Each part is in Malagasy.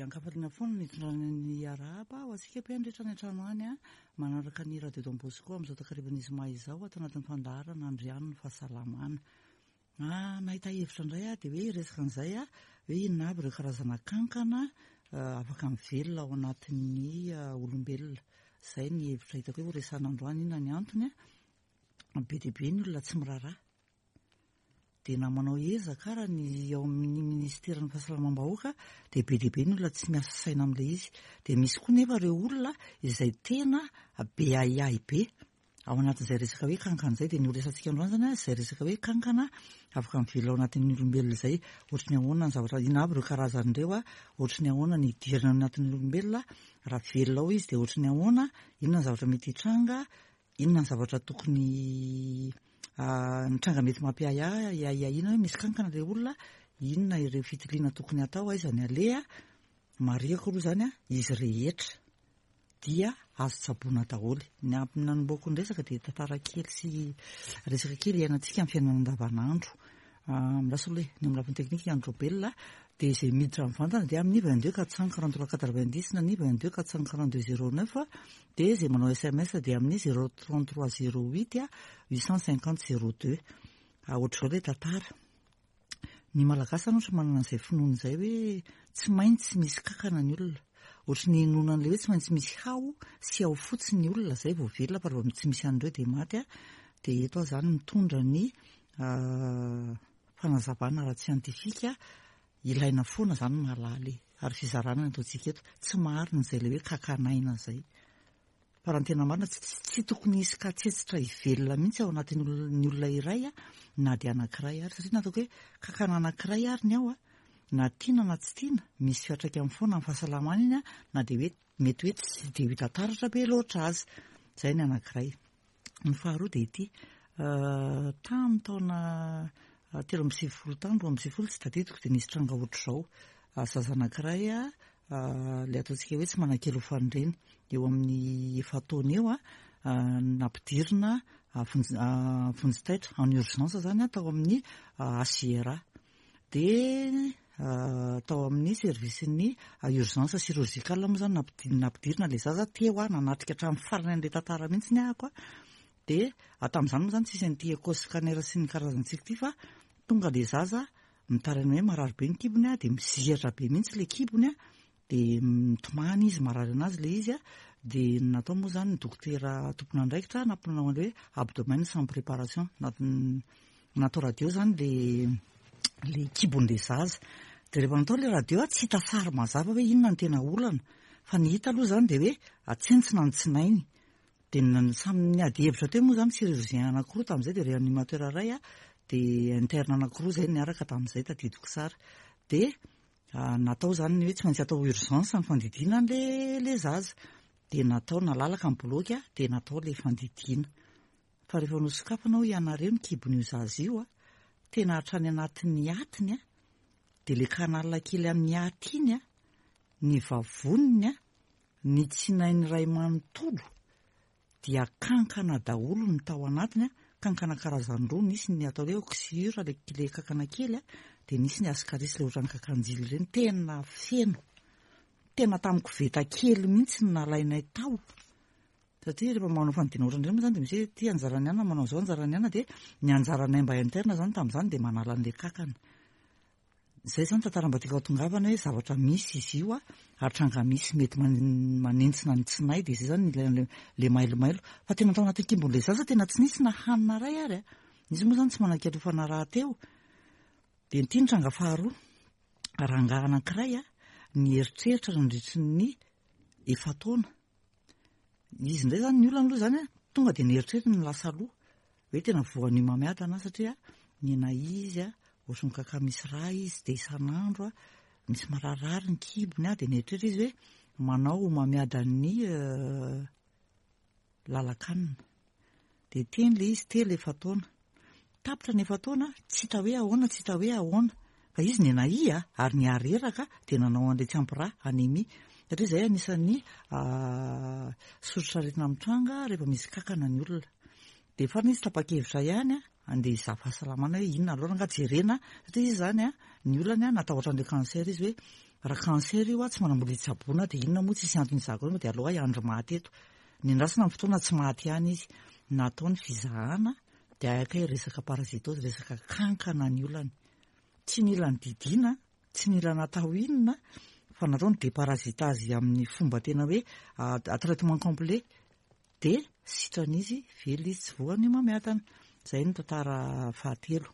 Dia ankafaliana foana ny hitondrana ny arahaba ho antsika mpihaino rehetra any an-trano any manaraka ny Radio Don Bosco amin'izao takarivan'ny zoma izao ato anatin'ny fandaharana Andriano ny fahasalamana. Ah, nahita hevitra indray aho dia hoe hiresaka an'izay aho hoe inona avy ireo karazana kankana afaka mivelona ao anatin'ny olombelona. Izay ny hevitra hitako hoe horesahana androany, inona ny antony. Be dia be ny olona tsy miraharaha. Dia na manao ezaka ara ny ao amin'ny ministeran'ny fahasalamam-bahoaka dia be dia be ny olona tsy miasa saina amin'ilay izy. Dia misy koa nefa ireo olona izay tena be ahiahy be ao anatin'izay resaka hoe kankana izay. Dia ny ho resahantsika androany izany izay resaka hoe kankana afaka mivelona ao anatin'ny olombelona izay. Ohatry ny ahoana ny zavatra, inona avy ireo karazany ireo, ohatry ny ahoana ny hidirana ao anatin'ny olombelona, raha velona ao izy dia ohatry ny ahoana, inona ny zavatra mety hitranga, Inona ny zavatra tokony ny tranga mety mampiahiahy ahiahiana hoe misy kankana ilay olona, inona ireo fitiliana tokony hatao, aiza ny aleha? Marihiko aloha izany izy rehetra dia azo tsaboina daholo. Ny ampy nanombohako ny resaka dia tantara kely sy resaka kely iainantsika amin'ny fiainana andavanandro. Lasa aloha e, ny amin'ny lafiny teknika i Andry Raobelina dia izay miditra mivantana dia amin'ny 22 443 90 na ny 22 442 09 dia izay manao sms dia amin'ny 033 08 850 02. Ohatr'izao ilay tantara. Ny Malagasy zany ohatra manana an'izay finoana izay hoe tsy maintsy misy kankana ny olona. Ohatry ny inoana an'ilay hoe tsy maintsy misy hao sy hao fotsy ny olona izay vao velona fa raha vao tsy misy an'ireo dia maty. Dia eto aho izany mitondra ny fanazavana ara-tsiantifika ilaina foana izany mahalala e. Ary fizarana ny ataontsika eto. Tsy marina izay ilay hoe kakan'aina izay. Fa raha ny tena marina, tsy tokony hisy katsetsitra hivelona mihitsy ao anatin'ny olona, olona iray na dia anankiray ary. Satria nataoko hoe kakana anankiray ary ny ao, na tiana na tsy tiana, misy fiantraikany foana amin'ny fahasalamana iny na dia hoe mety hoe tsy dia ho hita taratra be loatra aza. Izay ny anankiray. Ny faharoa dia ity, tamin'ny taona 93 tany, 92 tsy tadidiko dia nisy tranga ohatr'izao. Zaza anankiray ilay ataontsika hoe tsy manan-kely ho fanireny, eo amin'ny efa-taona eo, nampidirina vonjy taitra, en urgence izany tao amin'ny HJRA. Dia tao amin'ny service-n'ny urgence chirurgicale moa izany nampidirina ilay zaza teo aho, nanatrika hatramin'ny farany an'ilay tantara mihitsy ny ahako. Dia tamin'izany moa izany tsisy an'ity écho scanner sy ny karazantsika ity fa tonga ilay zaza mitaraina hoe marary be ny kibony dia mizihatra be mihitsy ilay kibony dia mitomany izy, marary anazy ilay izy dia ny natao moa izany ny dokotera tompon'andraikitra nampanao an'ilay hoe abdomen sans préparation, natao radio izany ilay ilay kibon'ilay zaza dia rehefa natao ilay radio tsy hita sary mazava hoe inona no tena olana fa ny hita aloha izany dia hoe atsentsina ny tsinainy dia samy niady hevitra teo moa izany chirurgien anankiroa tamin'izay dia réanimateur iray dia interne anankiroa izay niaraka tamin'izay tadidiko tsara dia Natao izany ny hoe tsy maintsy atao urgence ny fandidiana an'ilay ilay zaza. Dia natao nalalaka ny boloky dia natao ilay fandidiana. Fa rehefa nosokafana hoy ianareo ny kibon'io zaza io, tena hatrany anatin'ny atiny dia ilay canal kely amin'ny aty iny, ny vavoniny, ny tsinainy iray manontolo dia kankana daholo ny tao anatiny, kankana karazany roa, nisy ny atao hoe oxyure ilay ilay kankana kely dia nisy ny ascaris ilay ohatran'ny kakanjily ireny, tena feno, tena tamin'ny koveta kely mihitsy no nalainay tao, satria rehefa manao fandidiana ohatran'ireny moa izany dia misy hoe ity anjaran'ny anona manao izao, anjaran'ny anona dia ny anjaranay mba interne izany tamin'izany dia manala an'ilay kankana. Izay izany tantara mba tiako hahatongavana hoe zavatra misy izy io ary tranga misy mety manentsina ny tsinay dia izay izany ilay ilay mailomailo. Fa tena tao anatin'ny kimbon'ilay zaza tena tsy nisy na hanina iray ary a. Izy moa izany tsy manan-kialofana rahateo. Dia ity ny tranga faharoa. Rangahy anankiray a, nieritreritra nandritry ny efa-taona. Izy indray izany ny olana aloha izany a, tonga dia nieritreritra ny lasa aloha. Hoe tena voan'ny homamiadana satria nena izy a, ohatry ny kaka misy rà izy dia isan'andro a, misy mararirary ny kibony a, dia nieritreritra izy hoe manao homamiadan'ny lalan-kanina. Dia teny ilay izy telo efa-taona. Tapitra ny efa-taona, tsy hita hoe ahoana, tsy hita hoe ahoana. Fa izy nenahia ary nihareraka dia nanao an'ilay tsy ampy rà, anémie. Satria izay anisan'ny soritr'aretina mitranga rehefa misy kankana ny olona. Dia farany izy tapa-kevitra ihany handeha hizaha fahasalamana hoe inona aloha angaha jerena, satria izy izany ny olany natahotra an'ilay cancer izy hoe. Raha cancer io aho tsy manam-bola hitsaboana dia inona moa tsisy antony hizahako an'io dia aleo aho hiandry maty eto. Nendrasana ny fotoana tsy maty ihany izy. Natao ny fizahana dia hay kay resaka parasitose, resaka kankana ny olany. Tsy nila nodidiana, tsy nila natao inona fa natao ny déparasitage amin'ny fomba tena hoe traitement complet dia sitrana izy, velona izy, tsy voan'ny homamiadana. Izay ny tantara fahatelo.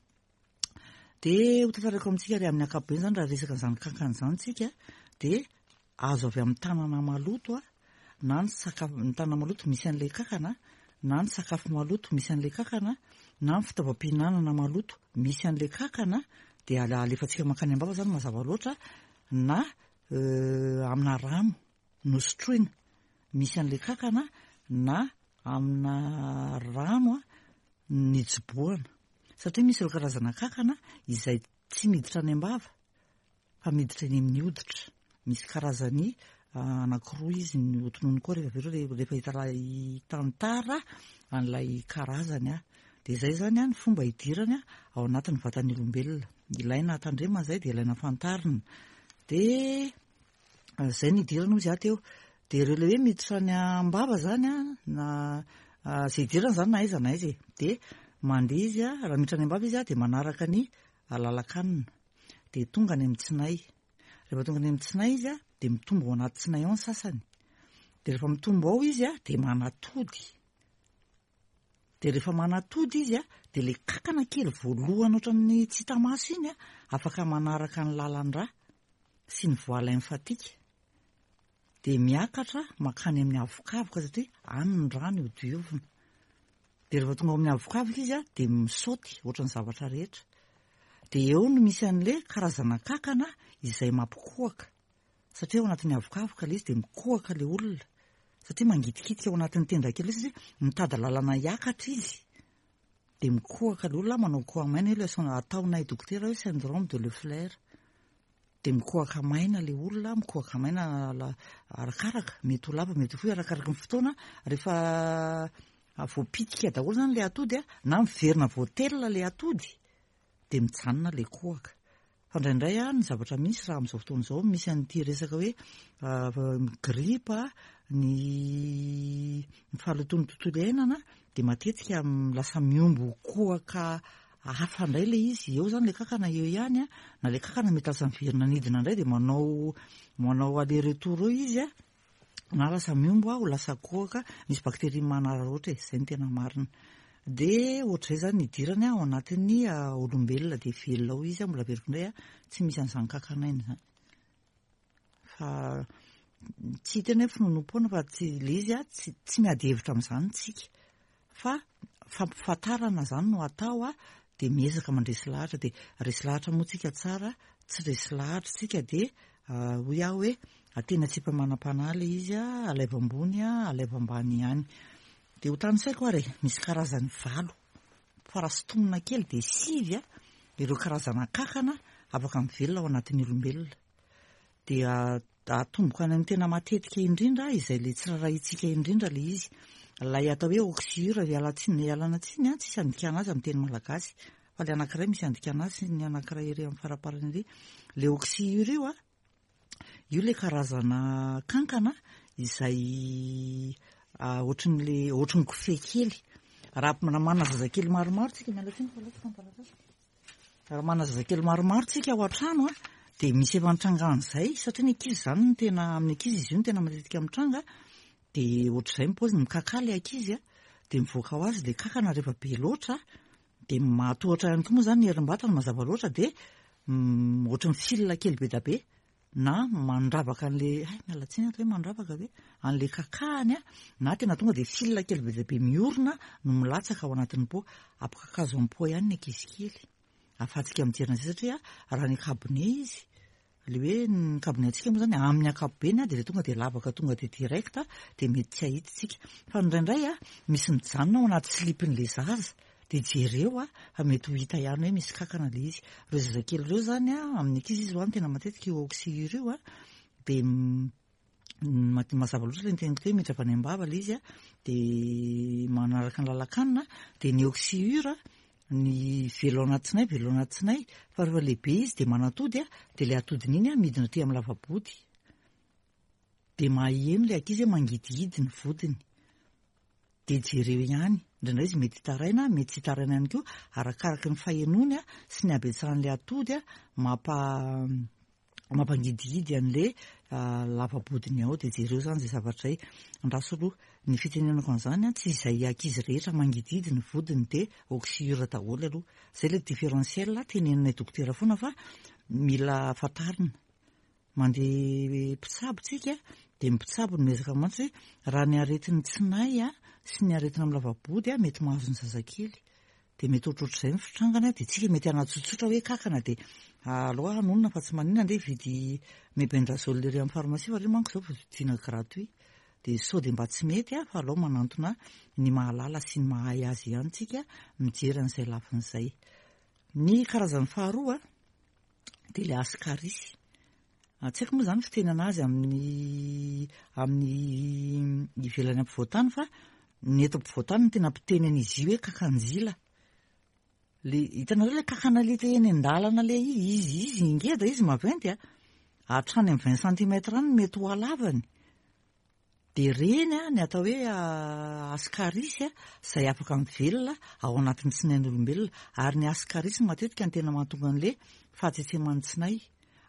Dia ho tantaraiko amintsika ary amin'ny ankapobeny izany raha resaka an'izany kankana izany tsika dia azo avy amin'ny tanana maloto na ny sakafo ny tanana maloto misy an'ilay kankana na ny sakafo maloto misy an'ilay kankana na ny fitaovam-pihinanana maloto misy an'ilay kankana dia alefantsika mankany am-bava izany mazava loatra na amina rano nosotroina misy an'ilay kankana na amina rano nijobohana satria misy ireo karazana kankana izay tsy miditra any am-bava fa miditra eny amin'ny hoditra. Misy karazany anankiroa izy ny hotononiny koa rehefa avy eo rehefa hitantara an'ilay karazany aho. Dia izay izany ny fomba hidirany ao anatin'ny vatan'ny olombelona. Ilaina tandremana izay dia ilaina fantarina. Dia Izay no idirana hozy aho teo. Dia ireo ilay hoe miditra any am-bava izany an, na izay idirana izany na aiza na aiza e. Dia mandeha izy an, raha miditra any am-bava izy an, dia manaraka ny lalan-kanina. Dia tonga any amin'ny tsinay. Rehefa tonga any amin'ny tsinay izy an, dia mitombo ao anaty tsinay ao ny sasany. Dia rehefa mitombo ao izy an, dia manatody. Dia rehefa manatody izy an, dia ilay kankana kely voalohany ohatran'ny tsy hita maso iny an, afaka manaraka ny lalan-drà sy ny voie lymphatique. Dia miakatra mankany amin'ny avokavoka satria any ny rano io diovina. Dia rehefa tonga ao amin'ny avokavoka izy an, dia misaoty ohatran'ny zavatra rehetra. Dia eo no misy an'ilay karazana kankana izay mampikohaka. Satria ao anatin'ny avokavoka ilay izy dia mikohaka ilay olona. Satria mangitikitika ao anatin'ny tenda kely satria mitady lalana hiakatra izy. Dia mikohaka ilay olona, manao koha maina io ilay ataonay dokotera hoe syndrome de Leffler. Dia mikohaka maina ilay olona, mikohaka maina arakaraka, mety ho lava, mety ho fohy arakaraky ny fotoana. Rehefa voapitika daholo izany ilay atody na miverina voatelina ilay atody dia mijanona ilay kohaka. Fa indraindray ny zavatra misy raha amin'izao fotoana izao misy an'ity resaka hoe gripa, ny fahalotoan'ny tontolo iainana dia matetika lasa mihombo kohaka hafa indray ilay izy. Eo izany ilay kankana eo ihany na ilay kankana mety lasa miverina anidina indray dia manao manao aller retour eo izy na lasa mihombo aho lasa kohaka, misy bactérie manararaotra e, izay no tena marina. Dia ohatr'izay izany ny idirany ao anatin'ny olombelona dia velona ao izy, mbola averiko indray tsy misy an'izany kakan'aina izany. Fa tsy hiteny hoe finoanoam-poana fa tsy ilay izy tsy tsy miady hevitra amin'izany tsika. Fa fampifantarana izany no atao dia miezaka mandresy lahatra dia resy lahatra moa tsika tsara, tsy resy lahatra tsika dia hoy aho hoe tena tsy efa manam-panahy ilay izy, alaivo ambony, alaivo ambany ihany. Dia ho tanisaiko ary e, misy karazany valo, fa raha sintomina kely dia sivy ireo karazana kankana afaka mivelona ao anatin'ny olombelona. Dia atomboka any amin'ny tena matetika indrindra, izay ilay tsy rarahintsika indrindra ilay izy. Ilay atao hoe oxyure, iala tsiny, ialana tsiny an, tsisy andikana azy amin'ny teny malagasy. Fa ilay anankiray misy andikana azy sy ny anankiray ery amin'ny faraparany ery. Ilay oxyure io an, io ilay karazana kankana izay ohatran'ilay, ohatran'ny kofehy kely. Raha manana zazakely maromaro tsika, miala tsiny fa lasa ny taratasy. Raha manana zazakely maromaro tsika ao an-trano dia misy efa nitranga an'izay satria ny ankizy izany no tena amin'ny ankizy izy io no tena matetika mitranga dia ohatr'izay ny paoziny mikakà ilay ankizy dia mivoaka ho azy ilay kankana rehefa be loatra dia mahatohatra ihany koa moa izany ny herim-batana mazava loatra dia ohatry ny fil kely be dia be na mandravaka an'ilay hay miala tsiny ato hoe mandravaka ve an'ilay kakahany na tena tonga dia fil kely be dia be miorina no milatsaka ao anatin'ny pot ampikakazo amin'ny pot ihany ny ankizy kely ahafahantsika mijery an'izay satria raha ny kabone izy le hoe ny kabone antsika moa zany amin'ny ankapobeny dia tonga dia lavaka tonga dia direct dia mety tsy hahita isika fa indraindray misy mijanona ao anaty slipin'ilay zaza Dia jereo a, fa mety ho hita ihany hoe misy kankana ilay izy. Ireo zazakely ireo izany a, amin'ny ankizy izy ho'a no tena matetika io oxyure io a, dia mazava loatra ilay niteneniko teo hoe miditra avy any am-bava ilay izy a, dia manaraka ny lalan-kanina, dia ny oxyure. Ny velo anaty tsinay, velo anaty tsinay, fa rehefa lehibe izy dia manatody a, dia ilay atodiny iny a midina aty amin'ny lava-body. Dia maheno ilay ankizy hoe mangidihidy ny vodiny. Dia jereo ihany, indraindray izy mety hitaraina, mety tsy hitaraina ihany koa, arakaraky ny fahenoany sy ny habetsahan'ilay atody mampa mampangidihidy an'ilay lava-bodiny ao. Dia jereo izany izay zavatra izay. Andraso aloha, ny fitenenako an'izany, tsy izay ankizy rehetra mangidihidy ny vodiny dia oxyure daholo aloha. Izay ilay différentiel teneninay dokotera foana fa mila fantarina. Mandeha mpitsabo tsika dia ny mpitsabo no miezaka mantsy hoe raha ny aretin'ny tsinay sy ny aretina amin'ny lava-body mety mahazo ny zazakely dia mety ohatrohatr'izay ny fitrangany dia tsika mety hanatsotsotra hoe kakana dia aleo hanonona fa tsy maninona andeha hividy mebendazole ery amin'ny pharmacie fa ireny manko izao vidiana gratuit dia sao dia mba tsy mety fa aleo manantona ny mahalala sy ny mahay azy ihany tsika mijery an'izay lafiny izay. Ny karazany faharoa dia ilay ascaris. Tsy haiko moa izany fitenana azy amin'ny amin'ny ivelany ampovoan-tany fa ny eto ampovoan-tany no tena mpiteny an'izy io hoe kakanjila. Le hitanareo ilay kakana le eny an-dalana le izy izy ngeda izy maventy a. Hatrany amin'ny 20 centimètres any mety ho halavany. Dia ireny ny atao hoe ascaris izay afaka mivelona ao anatin'ny tsinain'olombelona. Ary ny ascaris matetika no tena mahatonga an'ilay fahatsetseman'ny tsinay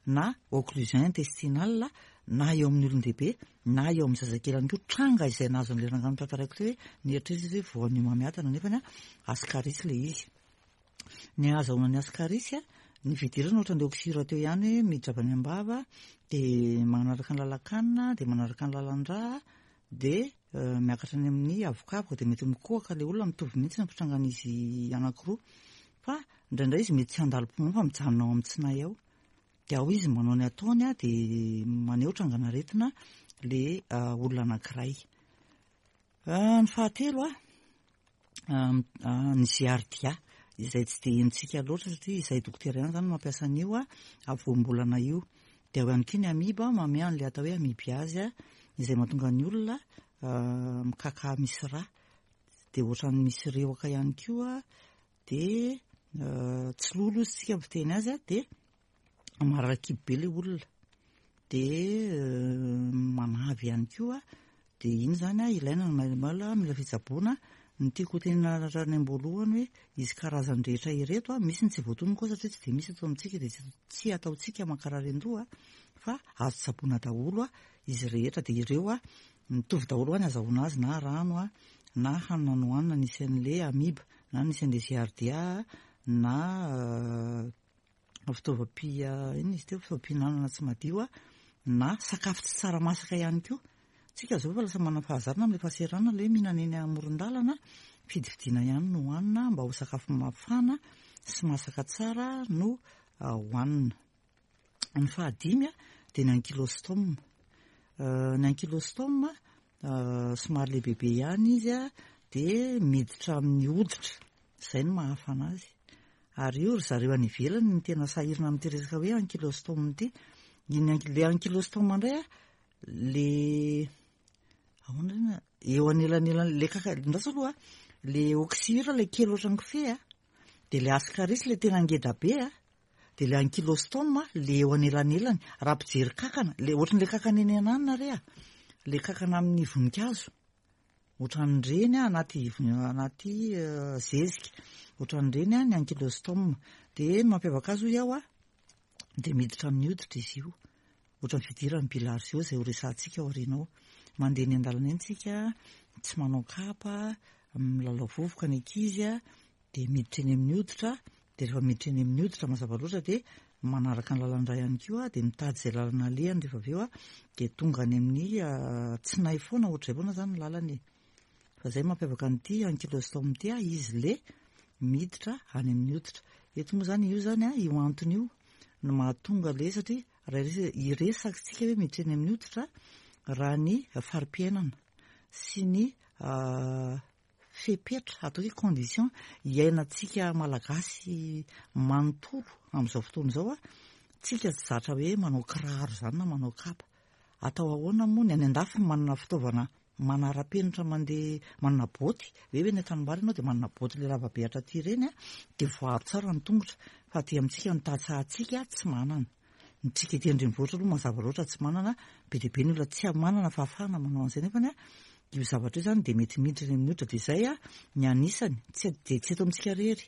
na occlusion intestinale na eo amin'ny olon-dehibe na eo amin'ny zazakely ihany koa. Tranga izay nahazo an'ilay rangahy notantaraiko teo hoe nieritreritra izy hoe voan'ny homamiadana nefa ascaris ilay izy. Ny ahazahoana ny ascaris, ny fidirana ohatran'ilay oxyure teo ihany hoe miditra avy any am-bava dia manaraka ny lalan-kanina dia manaraka ny lalan-drà dia miakatra any amin'ny avokavoka dia mety mikohaka ilay olona, mitovy mihitsy ny fitrangan'izy anankiroa fa indraindray izy mety tsy handalo poumon fa mijanona ao amin'ny tsinay ao dia ao izy manao ny ataony dia maneho trangan'aretina ilay olona anankiray. Ny fahatelo ny giardia izay tsy dia henontsika loatra satria izahay dokotera ihany izany no mampiasa an'io voambolana io. Dia ao ihany koa ny amiba, manome an'ilay atao hoe amibiazy izay mahatonga ny olona mikaka misy rà, dia ohatran'ny misy rehoka ihany koa, dia tsy lolo hozy isika miteny azy dia marary kibo be ilay olona dia manavy ihany koa dia iny izany a ilaina ny maimaila mila fitsaboana. Ny tiako ho tenenina hatrany am-boalohany hoe izy karazany rehetra ireto a, misy ny tsy voatonona koa satria tsy dia misy eto amintsika dia tsy ataontsika mankarary an-doha fa azo tsaboina daholo a izy rehetra dia ireo a mitovy daholo hoa ny azahoana azy na rano a na hanina nohanina nisy an'ilay amiba na nisy an'ilay giardia na fitaovam-pia inona izy teo fitaovam-pihinanana tsy madio na sakafo tsy tsara masaka ihany koa. Tsika izao efa lasa manana fahazarana amin'ilay fahasahiranana ilay hoe mihinana eny amoron-dalana, fidifidiana ihany no hohanina mba ho sakafo mafana sy masaka tsara no hohanina. Ny fahadimy dia ny ankylostome. Ny ankylostome somary lehibebe ihany izy dia miditra amin'ny hoditra, izay no mahafana azy. Ary io ry zareo any ivelany no tena sahirana amin'ity resaka hoe ankylostome ity. Iny anky-, le ankylostome indray a, le ahoana re na-, eo anelanelan'ny, le kaka, andraso aloha a, le oxyure le kely ohatran'ny kofehy a, dia le ascaris le tena ngeda be a, dia le ankylostome le eo anelanelany, raha mpijery kakana, le ohatran'le kakana eny ananona re a, le kakana amin'ny voninkazo. Ohatran'ireny anaty anaty zezika, ohatran'ireny ny ankylostome. Dia ny mampiavaka azy hoy aho dia miditra amin'ny hoditra izy io. Ohatran'ny fidiran'ny bilharziose izay ho resahantsika aoriana ao. Mandeha eny an-dalana eny tsika, tsy manao kapa, milalao vovoka ny ankizy, dia miditra eny amin'ny hoditra, dia rehefa miditra eny amin'ny hoditra mazava loatra dia manaraka ny lalan-drà ihany koa, dia mitady izay lalana alehany rehefa avy eo dia tonga any amin'ny tsinay foana, ohatr'izay foana izany ny lalany e. Fa izay mampiavaka an'ity ankylostome ity, izy le miditra any amin'ny hoditra. Eto moa izany io izany, io antony io no mahatonga le satria raha hiresaka isika hoe miditra eny amin'ny hoditra raha ny fari-piainana sy ny fepetra, atao hoe condition iainantsika Malagasy manontolo amin'izao fotoana izao, tsika tsy zatra hoe manao kiraro izany na manao kapa. Atao ahoana moa ny any an-dafy manana fitaovana manara-penitra mandeha manana boty, hoe eny an-tanimbary ianao dia manana boty le lava be hatraty ireny an, dia voaaro tsara ny tongotra, fa aty amintsika ny tantsahantsika tsy manana. Ny tsika ety an-drenivohitra aloha mazava loatra tsy manana, be dia be ny olona tsy manana fahafahana manao an'izay nefany an, io zavatra io izany dia mety miditra eny amin'ny hoditra dia izay an, ny anisany, tsy dia tsy eto amintsika irery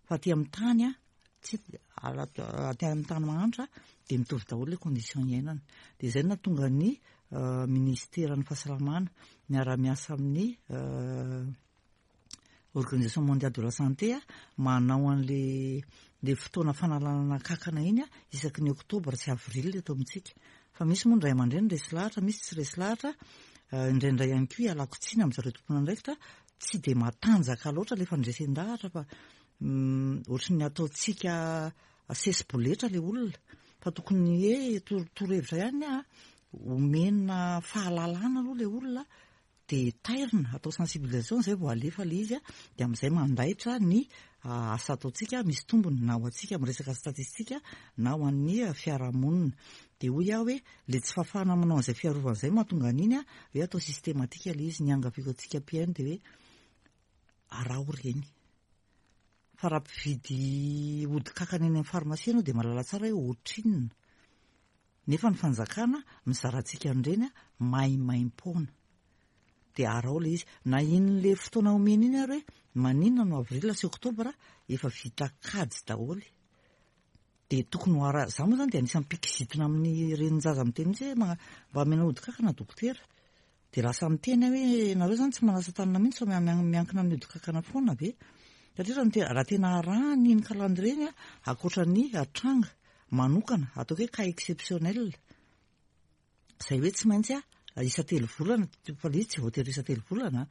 fa aty amin'ny tany an, tsy aty amin'ny tany mahantra dia mitovy daholo ilay condition iainana. Dia izay no nahatonga ny ministeran'ny fahasalamana miara-miasa amin'ny Organisation mondiale de la santé manao an'le le fotoana fanalanana kankana iny isaky ny oktobra sy avril eto amintsika. Fa misy moa ny ray aman-dreny resy lahatra, misy tsy resy lahatra, indraindray ihany koa ialako tsiny amin'zareo tompon'andraikitra, tsy dia matanjaka loatra ilay fandresen-dahatra fa ohatry ny ataontsika sesi-boletra ilay olona. Fa tokony hoe torohevitra ihany ny ahy, omena fahalalana aloha ilay olona dia tairina, atao sensibilisation izay vao alefa ilay izy dia amin'izay mandaitra ny asa ataontsika, misy tombony na ho antsika amin'ny resaka statistika na ho an'ny fiarahamonina. Dia hoy aho hoe ilay tsy fahafahana manao an'izay fiarovana izay mahatonga an'iny hoe atao systématique ilay izy. Ny angaviako antsika mpihaino dia hoe araho ireny. Fa raha mpividy ody kankana eny amin'ny pharmacie ianao dia mahalala tsara hoe ohatrinona. Nefa ny fanjakana mizara antsika an'ireny maimaimpoana. Dia araho ilay izy. Na iny ilay fotoana omena iny ary hoe maninona no avril sy oktobra efa vita kajy daholo. Dia tokony ho ara, za moa zany dia anisan'ny mpikizitina amin'ny renin-jaza miteny mihitsy hoe mba omena ody kankana dokotera. Dia lasa miteny aho hoe nareo zany tsy manasa tanana mihitsy fa miankina amin'ny ody kankana foana ve? Satria raha ny raha tena arahana iny calendrier iny ankoatra ny tranga manokana ataoko hoe cas exceptionnel izay hoe tsy maintsy isa-telo volana, fa ilay izy tsy voatery isa-telo volana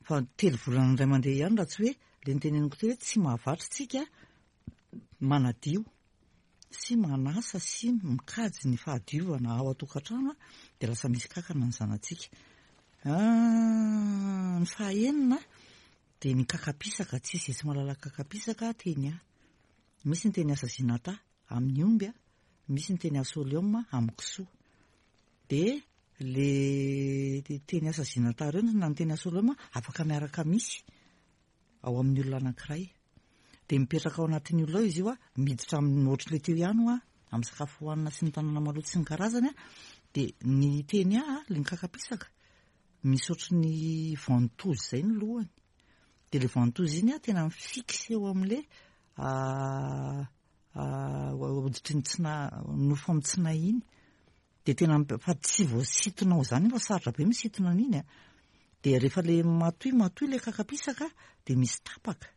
fa telo volana indray mandeha ihany raha tsy hoe ilay noteneniko teo hoe tsy mahavatra isika manadio sy manasa sy mikajy ny fahadiovana ao an-tokantrano dia lasa misy kankana ny zanatsika. Ny fahaenina dia ny kakapisaka, tsisy izay tsy mahalala kakapisaka teny ahy. Misy ny teny asazinata amin'ny omby, misy ny teny asolium amin'ny kisoa. Dia le teny asazinata ireo na ny teny asolium afaka miaraka misy ao amin'ny olona anankiray. Dia mipetraka ao anatin'ny olona ao izy io, miditra amin'ny ohatr'ilay teo ihany hoa, amin'ny sakafo hohanina sy ny tanàna maloto sy ny karazany, dia ny teny ahy, ilay mikakapisaka, misy ohatry ny ventouse izay ny lohany. Dia ilay ventouse iny tena mi-fixe eo amin'ilay hoditry ny tsina, nofo amin'ny tsinay iny. Dia tena fa tsy voasintonao izany fa sarotra be misintona an'iny a. Dia rehefa ilay matoy matoy ilay kakapisaka dia misy tapaka.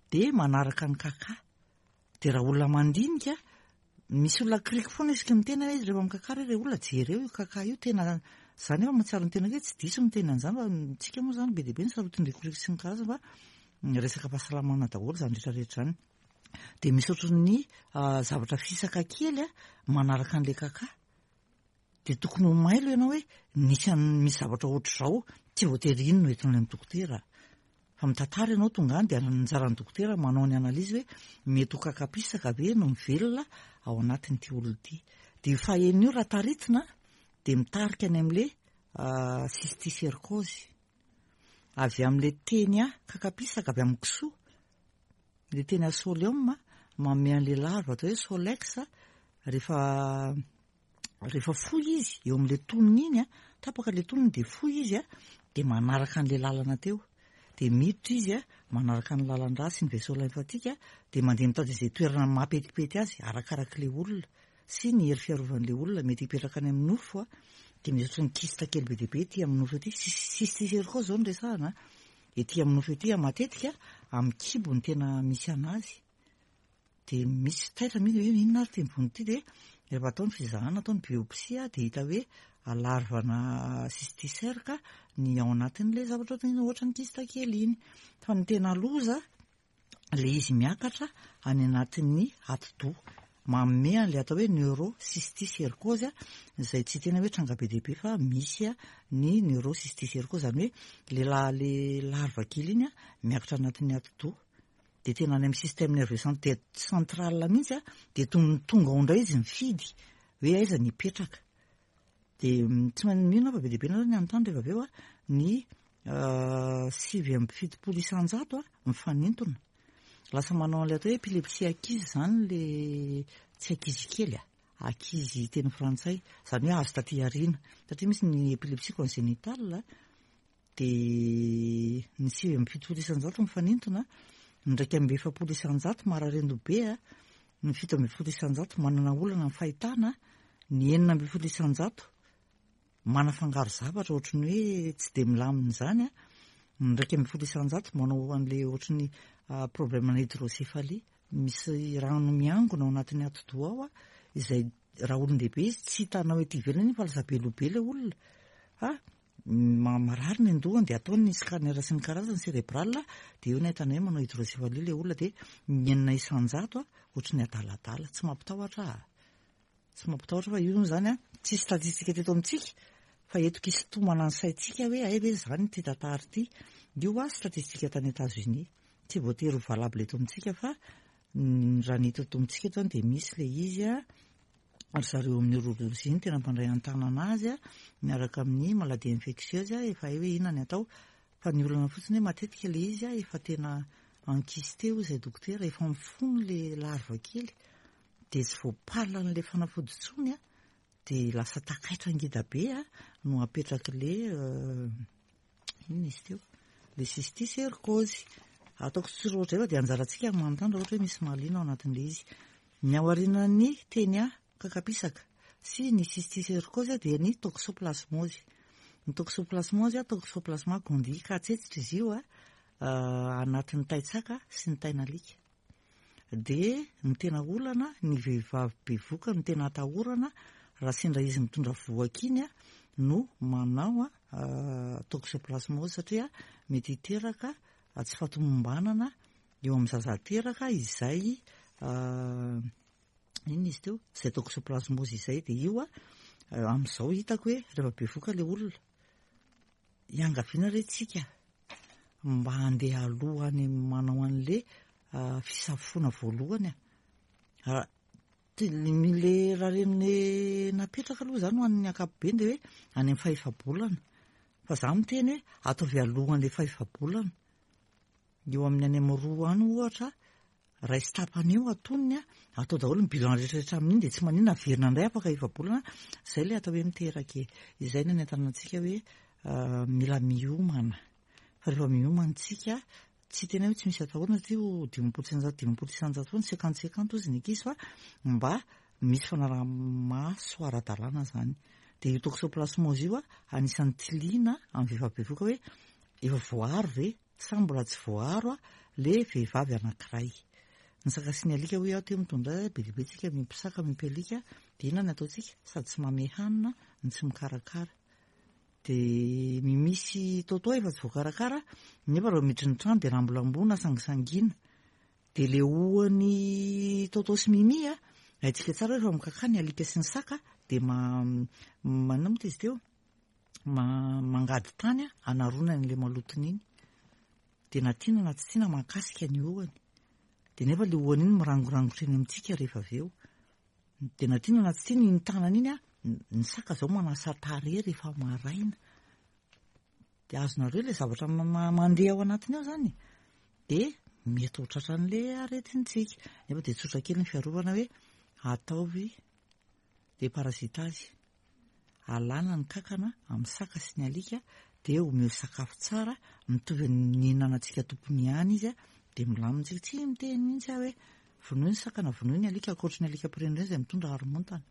Dia manaraka ny kaka. Dia raha olona mandinika, misy olona akiriky foana isaky ny miteny hoe rehefa mikaka re ilay olona jereo io kaka io tena za nefa mahatsiaro ny tenako hoe tsy diso miteny an'izany fa tsika moa izany be dia be ny sarotin-drikoriko sy ny karazany fa resaka fahasalamana daholo izany rehetra rehetra izany. Dia misy ohatran'ny zavatra fisaka kely manaraka an'ilay kaka. Dia tokony ho mailo ianao hoe nisy misy zavatra ohatr'izao, tsy voatery iny no entina any amin'ny dokotera. Fa mitantara ianao tonga any dia anjaran'ny dokotera manao ny analyse hoe mety ho kaka pisaka ve no mivelona ao anatin'ity olona ity. Dia io fahenina io raha taritina dia mitarika any amin'ilay cysticercose. Avy amin'ilay teny kaka pisaka avy amin'ny kisoa. Ilay teny asolium manome an'ilay larve atao hoe solex rehefa rehefa fohy izy eo amin'ilay tonony iny a, tapaka ilay tonony dia fohy izy a, dia manaraka an'ilay lalana teo. Dia miditra izy a, manaraka ny lalan-drà sy ny vaisseau lymphatique dia mandeha mitady izay toerana mampetipety azy arakarak'ilay olona sy ny hery fiarovan'ilay olona. Mety hipetraka any amin'ny nofo a, dia misy ohatran'ny kyste kely be dia be ety amin'ny nofo ety. Cysticercose izao no resahana a. Ety amin'ny nofo ety matetika amin'ny kibo no tena misy anazy. Dia misy taitra mihitsy hoe inona ary ity mivonto ity dia rehefa atao ny fizahana, atao ny biopsie dia hita hoe larvana cysticerque ny ao anatin'ilay zavatra ohatran'ny kyste kely iny. Fa ny tena loza ilay izy miakatra any anatin'ny atidoha, manome an'ilay atao hoe neurocysticercose izay tsy tena hoe tranga be dia be fa misy ny neurocysticercose, izany hoe ilay la-, ilay larve kely iny miakatra anatin'ny atidoha dia tena any amin'ny système nerveux central mihitsy dia tonga ao indray izy mifidy hoe aiza ny hipetraka. Dia tsy maninona fa be dia be nareo ny anontany rehefa avy eo a, ny 79% a mifanintona. Lasa manao an'ilay atao hoe épilepsie ankizy izany le tsy ankizy kely a, ankizy teny frantsay, izany hoe azo taty aoriana, satria misy ny épilepsie congénitale dia ny 79% mifanintona, ny 41% marary be a, ny 17% manana olana amin'ny fahitana, ny 16% manafangaro zavatra ohatry ny hoe tsy dia milamina izany a, ny 11% manao an'ilay ohatry ny problème ana hydrocéphalie, misy rano miangona ao anatin'ny atidoha ao a, izay raha olon-dehibe izy tsy hitanao ety ivelany iny fa lasa be loha be ilay olona, fa marary ny andohany dia ataony ny scanner sy ny karazany cérébral, dia eo no ahitana hoe manao hydrocéphalie ilay olona, dia ny 6% a ohatry ny adaladala, tsy mampitahotra ahy. Tsy mampitahotra fa io zany a, tsisy statistique teto amintsika fa eto kisintomana ny saintsika hoe hay ve zany ity tantara ity. Io a statistique tany Etats-Unis, tsy voatery ho valable eto amintsika fa raha ny eto amintsika eto zany dia misy ilay izy a, ry zareo amin'ny neurologie no tena mpandray an-tanana azy a, miaraka amin'ny maladie infectieuse efa hay hoe inona ny atao. Fa ny olana fotsiny hoe matetika ilay izy a efa tena enquisté hoy izay dokotera, efa mifono ilay larve kely. dia tsy voapalan'ilay fanafody intsony a, dia lasa takaitra ngeda be a no apetrak'ilay inona izy teo, ilay cysticercose. Ataoko tsy roatra eo dia anjarantsika ny manontany raha ohatra hoe misy mahaliana ao anatin'ilay izy. Ny ao aorianan'ny tenia kakapisaka sy ny cysticercose dia ny toxoplasmose. Ny toxoplasmose, toxoplasma gondii, katsetsitra izy io a, anatin'ny taitsaka sy ny tain'alika. Dia ny tena olana, ny vehivavy bevoka no tena atahorana raha sendra izy mitondra vohoka iny no manao toxoplasmose satria mety hiteraka tsy fahatomombanana eo amin'ny zaza teraka izay inona izy teo? Izay toxoplasmose izay. Dia io amin'izao hitako hoe rehefa bevoka ilay olona, iangaviana re tsika mba handeha aloha any manao an'le fisafoana voalohany a. Le raha reny napetraka aloha zany ho an'ny ankapobeny dia hoe any amin'ny fahefa-bolana. Fa za miteny hoe ataovy alohan'le fahefa-bolana. Eo amin'ny any amin'ny roa any ohatra, raiso tapany eo atonony a, atao daholo ny bilan rehetra rehetra amin'iny dia tsy maninona averina indray afaka efa-bolana. Izay ilay atao hoe miteraka e. Izay no anentanana antsika hoe mila miomana. Fa rehefa miomana isika, tsy tena hoe tsy misy atahorana satria ho 150 50% foana, cinquante cinquante hozy ny ankizy fa mba misy fanaraha-maso ara-dalàna izany. Dia io toxoplasmose io anisan'ny tiliana amin'ny vehivavy bevohoka hoe efa voaaro ve sa mbola tsy voaaro le vehivavy anankiray. Ny saka sy ny alika hoy aho teo mitondra be dia be tsika miompy saka miompy alika dia inona ny ataontsika? Sady tsy mamehy hanina no tsy mikarakara. Dia Mimi sy Toto efa tsy voakarakara nefa raha miditra ny trano dia rambolamboana sangisangiana. Dia le hoan'i Toto sy Mimi a, haintsika tsara hoe efa mikaka ny alika sy ny saka dia ma manina moa izy teo? Mangady tany hanaronany ilay malotony iny. Dia na tiana na tsy tiana mahakasika ny hohony. Dia nefa ilay hohony iny mirangorangotra eny amintsika rehefa avy eo. Dia na tiana na tsy tiana iny tanana iny, ny saka izao manasa tarehy rehefa maraina. Dia azonareo ilay zavatra mandeha ao anatiny ao izany. Dia mety ho tratran'ilay aretintsika. Nefa dia tsotra kely ny fiarovana hoe ataovy déparasitage. Alana ny kankana amin'ny saka sy ny alika dia omeo sakafo tsara mitovy amin'ny nihinanantsika tompony ihany izy dia milamina tsika. Tsy miteny mihitsy aho hoe vonoy ny saka na vonoy ny alika ankoatry ny alika mpirenireny izay mitondra haromontana.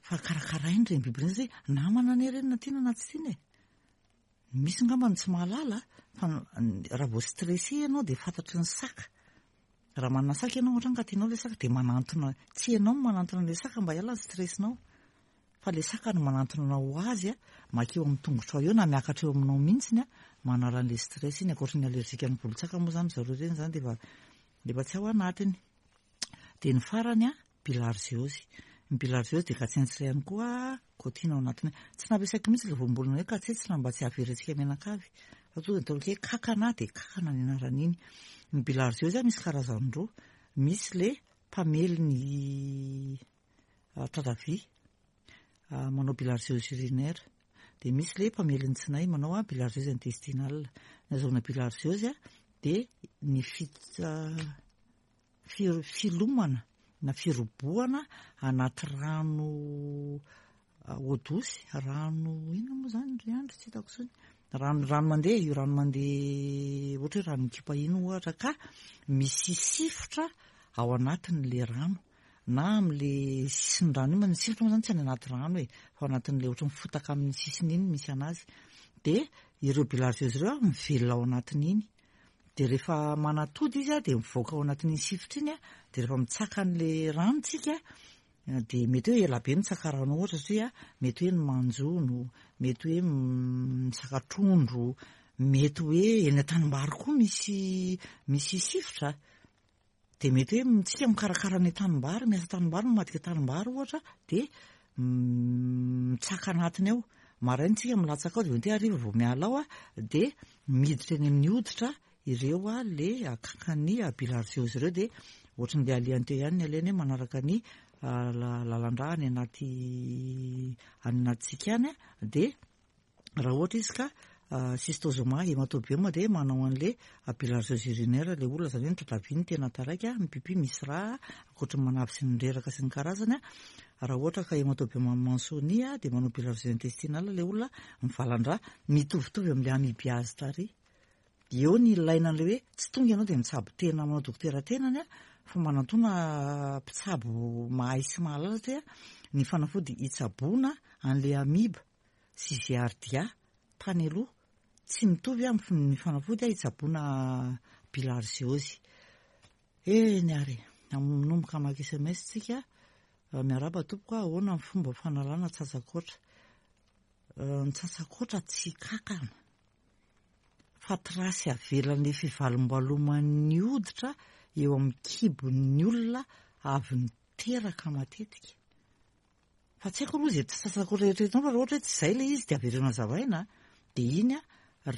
Fa karakaraina ireny biby ireny satria namana anie ireny na tiana na tsy tiana e. Misy angamba ny tsy mahalala fa raha vao stressé ianao dia fantatry ny saka. Raha manana saka ianao ohatra ka tianao ilay saka dia manantona, tsy ianao no manantona an'ilay saka mba hiala ny stress-nao fa ilay saka no manantona anao ho azy, makeo amin'ny tongotrao eo na miakatra eo aminao mihitsy manala an'ilay stress iny. Ankoatry ny allergique ny volon-tsaka moa izany zareo ireny izany dia efa efa tsy ao anatiny. Dia ny farany an, bilharziose. Ny bilharziose dia katsentsitra ihany koa, kaotiana ao anatiny. Tsy nampiasaiko mihitsy ilay voambolana hoe katsentsitra mba tsy hahavery antsika mianakavy. Fa tonga dia ataoko hoe kakana dia kakana ny anaran'iny. Ny bilharziose misy karazany roa. Misy ilay mpamely ny tatavia. manao bilharziose urinaire. Dia misy ilay mpamely ny tsinay manao bilharziose intestinale. Ny azahoana bilharziose dia ny filomana na firobohana anaty rano eau douce, rano inona moa izany ry Andry tsy hitako intsony, rano rano mandeha, io rano mandeha ohatra hoe rano mikipa iny ohatra ka misy sifotra ao anatin'ilay rano na amin'ilay sisin'ny rano iny, ny sifotra moa izany tsy any anaty rano e, fa ao anatin'ilay ohatran'ny fotaka amin'ny sisiny iny misy an'azy, dia ireo bilharziose ireo mivelona ao anatin'iny. Dia rehefa manatody izy dia mivoaka ao anatin'iny sifotra iny dia rehefa mitsaka an'ilay rano tsika dia mety hoe ela be mitsaka rano ohatra satria mety hoe ny manjono, mety hoe mitsaka trondro, mety hoe eny an-tanimbary koa misy misy sifotra. Dia mety hoe tsika mikarakara ny tanimbary, miasa tanimbary, mamadika tanimbary ohatra, dia mitsaka anatiny ao. Maraina tsika milatsaka ao, dia mety hoe hariva vao miala ao, dia miditra eny amin'ny hoditra ireo le kakan'ny bilharziose ireo, dia ohatran'ilay alehany teo ihany ny alehany hoe manaraka ny lalan-drà any anaty any anatintsika any, dia Raha ohatra izy ka Schistosoma haematobium dia manao an'le bilharziose urinaire le olona, izany hoe ny tratravia no tena taraiky, ny pipi misy rà, ankoatry ny manavy sy ny reraka sy ny karazany. Raha ohatra ka haematobium mansoni dia manao bilharziose intestinale le olona, mivalan-drà, mitovitovy amin'le amibiase tary. Eo ny ilaina an'ilay hoe tsy tonga ianao dia mitsabo tena manao dokotera tenany fa manantona mpitsabo mahay sy mahalala satria ny fanafody hitsaboana an'le amiba sy Giardia tany aloha tsy mitovy amin'ny fanafody hitsaboana bilharziose. Eny ary e, manomboka hamaky sms tsika. Miarahaba tompoko, ahoana ny fomba fanalana tsatsakoatra? Ny tsatsakoatra tsy kankana fa trace avelan'ny fivalombaloman'ny hoditra eo amin'ny kibon'ny olona avy niteraka matetika. Fa tsy haiko aloha izay tsy sasako rehetra eto fa raha ohatra hoe tsy izay ilay izy dia avereno hazavaina dia iny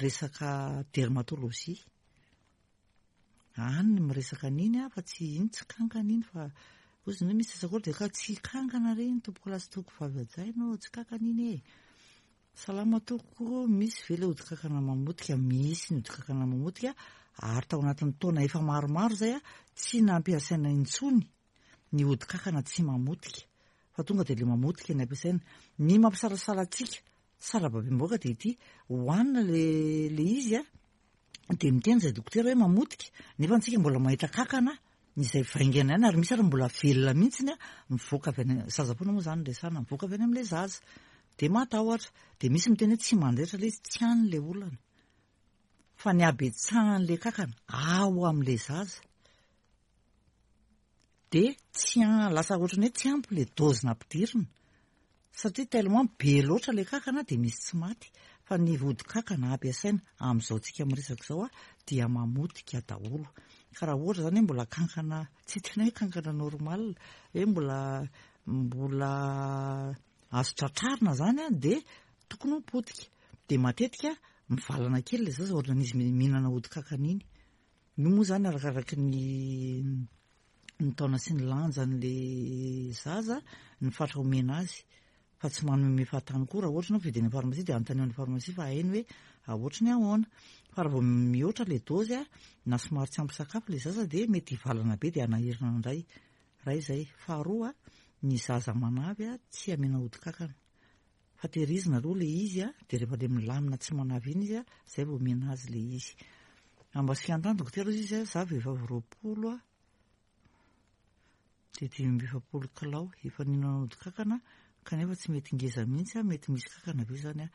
resaka dermatologie. Any ny miresaka an'iny fa tsy iny tsy kankana iny fa ozy ny hoe misy sasako dia ka tsy kankana re iny tompoko lahy sy tompoko vavy hajaina ô, tsy kankana iny e. Salama tompoko, misy ve ilay hodi-kankana mamotika? Misy ny hodi-kankana mamotika ary tao anatin'ny taona efa maromaro izay tsy nampiasaina intsony ny hodi-kankana tsy mamotika fa tonga dia ilay mamotika ny ampiasaina. Ny mampisalasala antsika sarababem-bahoaka dia ity, hohanina ilay ilay izy a, dia miteny izay dokotera hoe mamotika, nefa antsika mbola mahita kankana izay vaingana ihany ary misy ary mbola velona mihitsiny a, mivoaka avy any, zaza foana moa izany no resahana, mivoaka avy any amin'ilay zaza. Dia matahotra. Dia misy miteny hoe tsy mandaitra ilay izy, tsy any ilay olana. Fa ny habetsahan'ilay kankana ao amin'ilay zaza. Dia tsy lasa ohatran'ny hoe tsy ampy ilay dose nampidirina satria tellement be loatra ilay kankana dia misy tsy maty fa ny vodi-kankana ampiasaina amin'izao tsika miresaka izao dia mamotika daholo ka raha ohatra izany hoe mbola kankana tsy tena hoe kankana normal hoe mbola mbola azo tratrarina izany dia tokony ho potika dia matetika mivalana kely ilay zaza ohatran'izy mihinana hodi-kankana iny. Io moa izany arakaraky ny ny taona sy ny lanjan'ilay zaza ny fatra omena azy fa tsy manome fahatany koa raha ohatra ianao mividy any amin'ny pharmacie dia anontanio any pharmacie fa hainy hoe ohatry ny ahoana fa raha vao mihoatra ilay dose na somary tsy ampy sakafo ilay zaza dia mety hivalana be dia hanahirana indray iray izay faharoa ny zaza manavy tsy amena hodi-kankana Fa tehirizina aloha ilay izy a, dia rehefa ilay milamina tsy manavy iny izy a, izay vao omena azy ilay izy. Ambasikan-tany dokotera hozy izy a, za vehivavy 20 a, dia 45 kilao, efa nihinana ody kankana kanefa tsy mety ngeza mihitsy a, mety misy kankana ve izany a?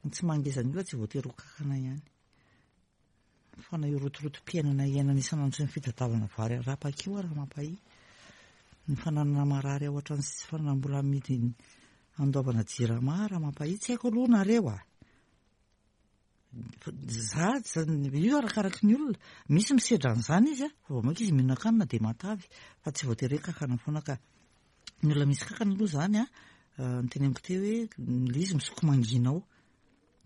Ny tsy mahangeza ny olona tsy voatery ho kankana ihany. Fa na io rotorotom-piainana iainana isan'andro sy ny fitadiavana vary arapaka io ary mampahia. Ny fananana marary ao an-trano sy tsy fananam-bola amidy andoavana jirama raha mampahia. Tsy haiko aloha nareo a! Za, io arakaraky ny olona. Misy misedra an'izany izy a, fa vao mainka izy mihinan-kanina dia matavy. Fa tsy voatery hoe kankana foana ka. Ny olona misy kankana aloha izany a, noteneniko teo hoe ilay izy misoko mangina ao.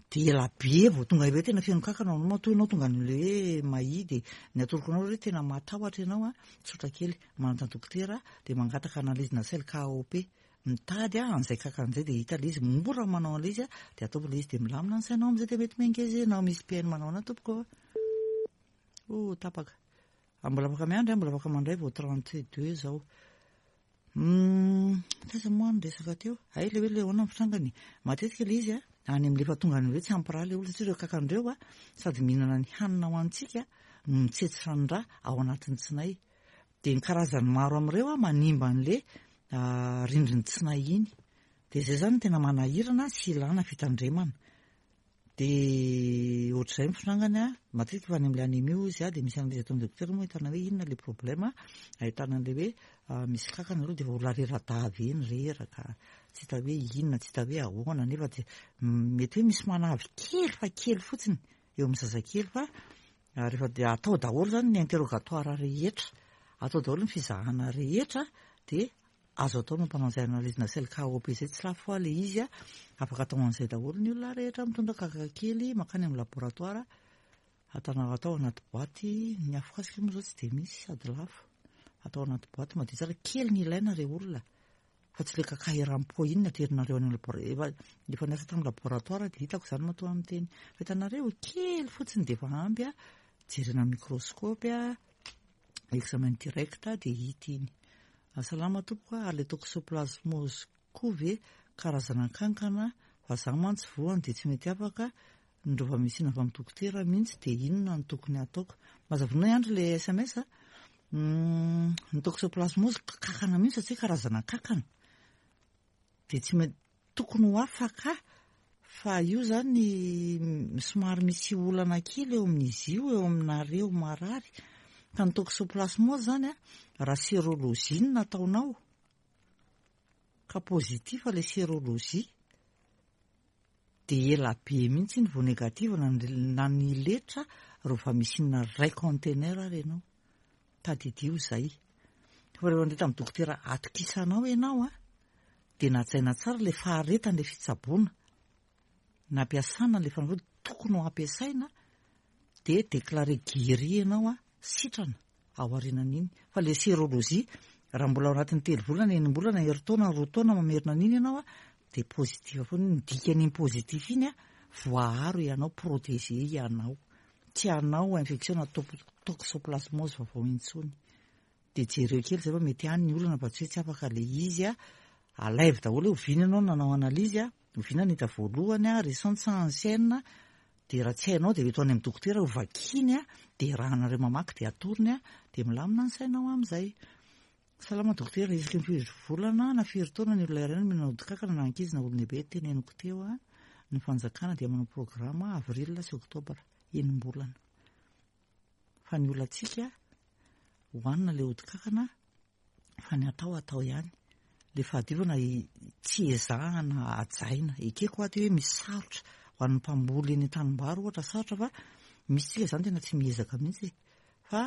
Dia ela be vao tonga hoe tena feno kankana ao aminao matoa ianao tonga an'ilay hoe mahia dia ny atoroko anao hoe tena matahotra ianao a, tsotra kely, manantona dokotera dia mangataka analyse-na sel KOP. mitady an'izay kankana izay dia hita ilay izy, mora manao an'ilay izy dia ataovy ilay izy dia milamina ny sainao amin'izay dia mety miha-ngeza ianao. Misy mpihaino manao anà tompoko ô. Oh, tapaka. Ah, mbola afaka miandry ah, mbola afaka mandray vao 32 izao. Hum, taiza moa ny resaka teo? Hay ilay hoe ilay ahoana ny fitrangany. Matetika ilay izy any amin'ilay efa tonga any hoe tsy ampy rà ilay olona satria ireo kankana ireo sady mihinana ny hanina ho antsika no mitsetsitra ny rà ao anatin'ny tsinay. Dia ny karazany maro amin'ireo manimba an'ilay rindrin'ny tsinay iny. Dia izay izany no tena manahirana sy ilana fitandremana. Dia ohatr'izay ny fitrangany an, matetika efa any amin'ilay anémie hoy izy an, dia misy analyse ataon'ny dokotera moa ahitana hoe inona ilay problème, ahitana an'ilay hoe misy kankana aloha dia efa olona rera-dava eny, reraka, tsy hita hoe inona, tsy hita hoe ahoana, nefa dia mety hoe misy manavy kely fa kely fotsiny eo amin'ny zazakely fa rehefa dia atao daholo izany ny interrogatoire rehetra, atao daholo ny fizahana rehetra dia Azo atao mampanao an'izay analyse-na sel KOP izay, tsy lafo hoa ilay izy a, afaka atao an'izay daholo ny olona rehetra mitondra kaka kely mankany amin'ny laboratoire, atana atao anaty boaty, ny afokasika moa izao tsy dia misy sady lafo, atao anaty boaty madio tsara, kely ny ilaina re olona fa tsy ilay kaka eran'ny pot iny no aterinareo any amin'ny laboratoire, efa efa niasa tamin'ny laboratoire dia hitako izany matoa miteny, fa hitanareo kely fotsiny dia efa ampy a, jerena microscope a, examen direct dia hita iny. Salama tompoko a, ary le toxoplasmose koa ve karazana kankana fa za mantsy voany dia tsy mety afaka, ny rovamicine avy amin'ny dokotera mihitsy dia inona no tokony hataoko? Mazava ihany ry le sms a, ny toxoplasmose kankana mihitsy satria karazana kankana dia tsy mety Tokony ho afaka fa io zany somary misy olana kely eo amin'izy io, eo aminareo marary. Fa ny toxoplasmose zany a, raha sérologie no nataonao ka positif ilay sérologie dia ela be mihitsy iny vao négative na na ny letra rovamicine iray conteneur ary ianao. Tadidio izay. Fa rehefa nandeha tamin'ny dokotera atokisanao ianao a, dia najaina tsara ilay faharetana ilay fitsaboana nampiasana ilay fanafody tokony ho ampiasaina dia déclaré guéri ianao a, sitrana ao aorianan'iny. Fa ilay sérologie, raha mbola ao anatin'ny telo volana, enim-bolana, herintaona, roa taona mamerina an'iny ianao a, dia positif foana iny. Ny dikan'iny positif iny a, voaaro ianao, protégé ianao. Tsy hanao infection na toxoplasmose vaovao intsony. Dia jereo kely izay fa mety any ny olana fa tsy hoe tsy afaka ilay izy a. Alaivo daholo hoe oviana ianao no nanao analyse a, oviana no hita voalohany a, récente sa ancienne, dia raha tsy hainao dia eto any amin'ny dokotera ho vakiany a, dia iarahanareo mamaky dia atorony a, dia milamina ny sainao amin'izay. Salama dokotera, isaky ny firy volana na firy taona ny olona iray no mihinana odi-kankana na ankizy na olon-dehibe, teneniko teo a, ny fanjakana dia manao programa avril sy oktobra, enim-bolana. Fa ny olantsika, hohanina ilay odi-kankana fa ny atao atao ihany. Ilay fahadiovana tsy ezahana hajaina. Ekeko aho hoe misy sarotra ho an'ny mpamboly eny an-tanimbary ohatra sarotra fa misy tsika izany tena tsy miezaka mihitsy e. Fa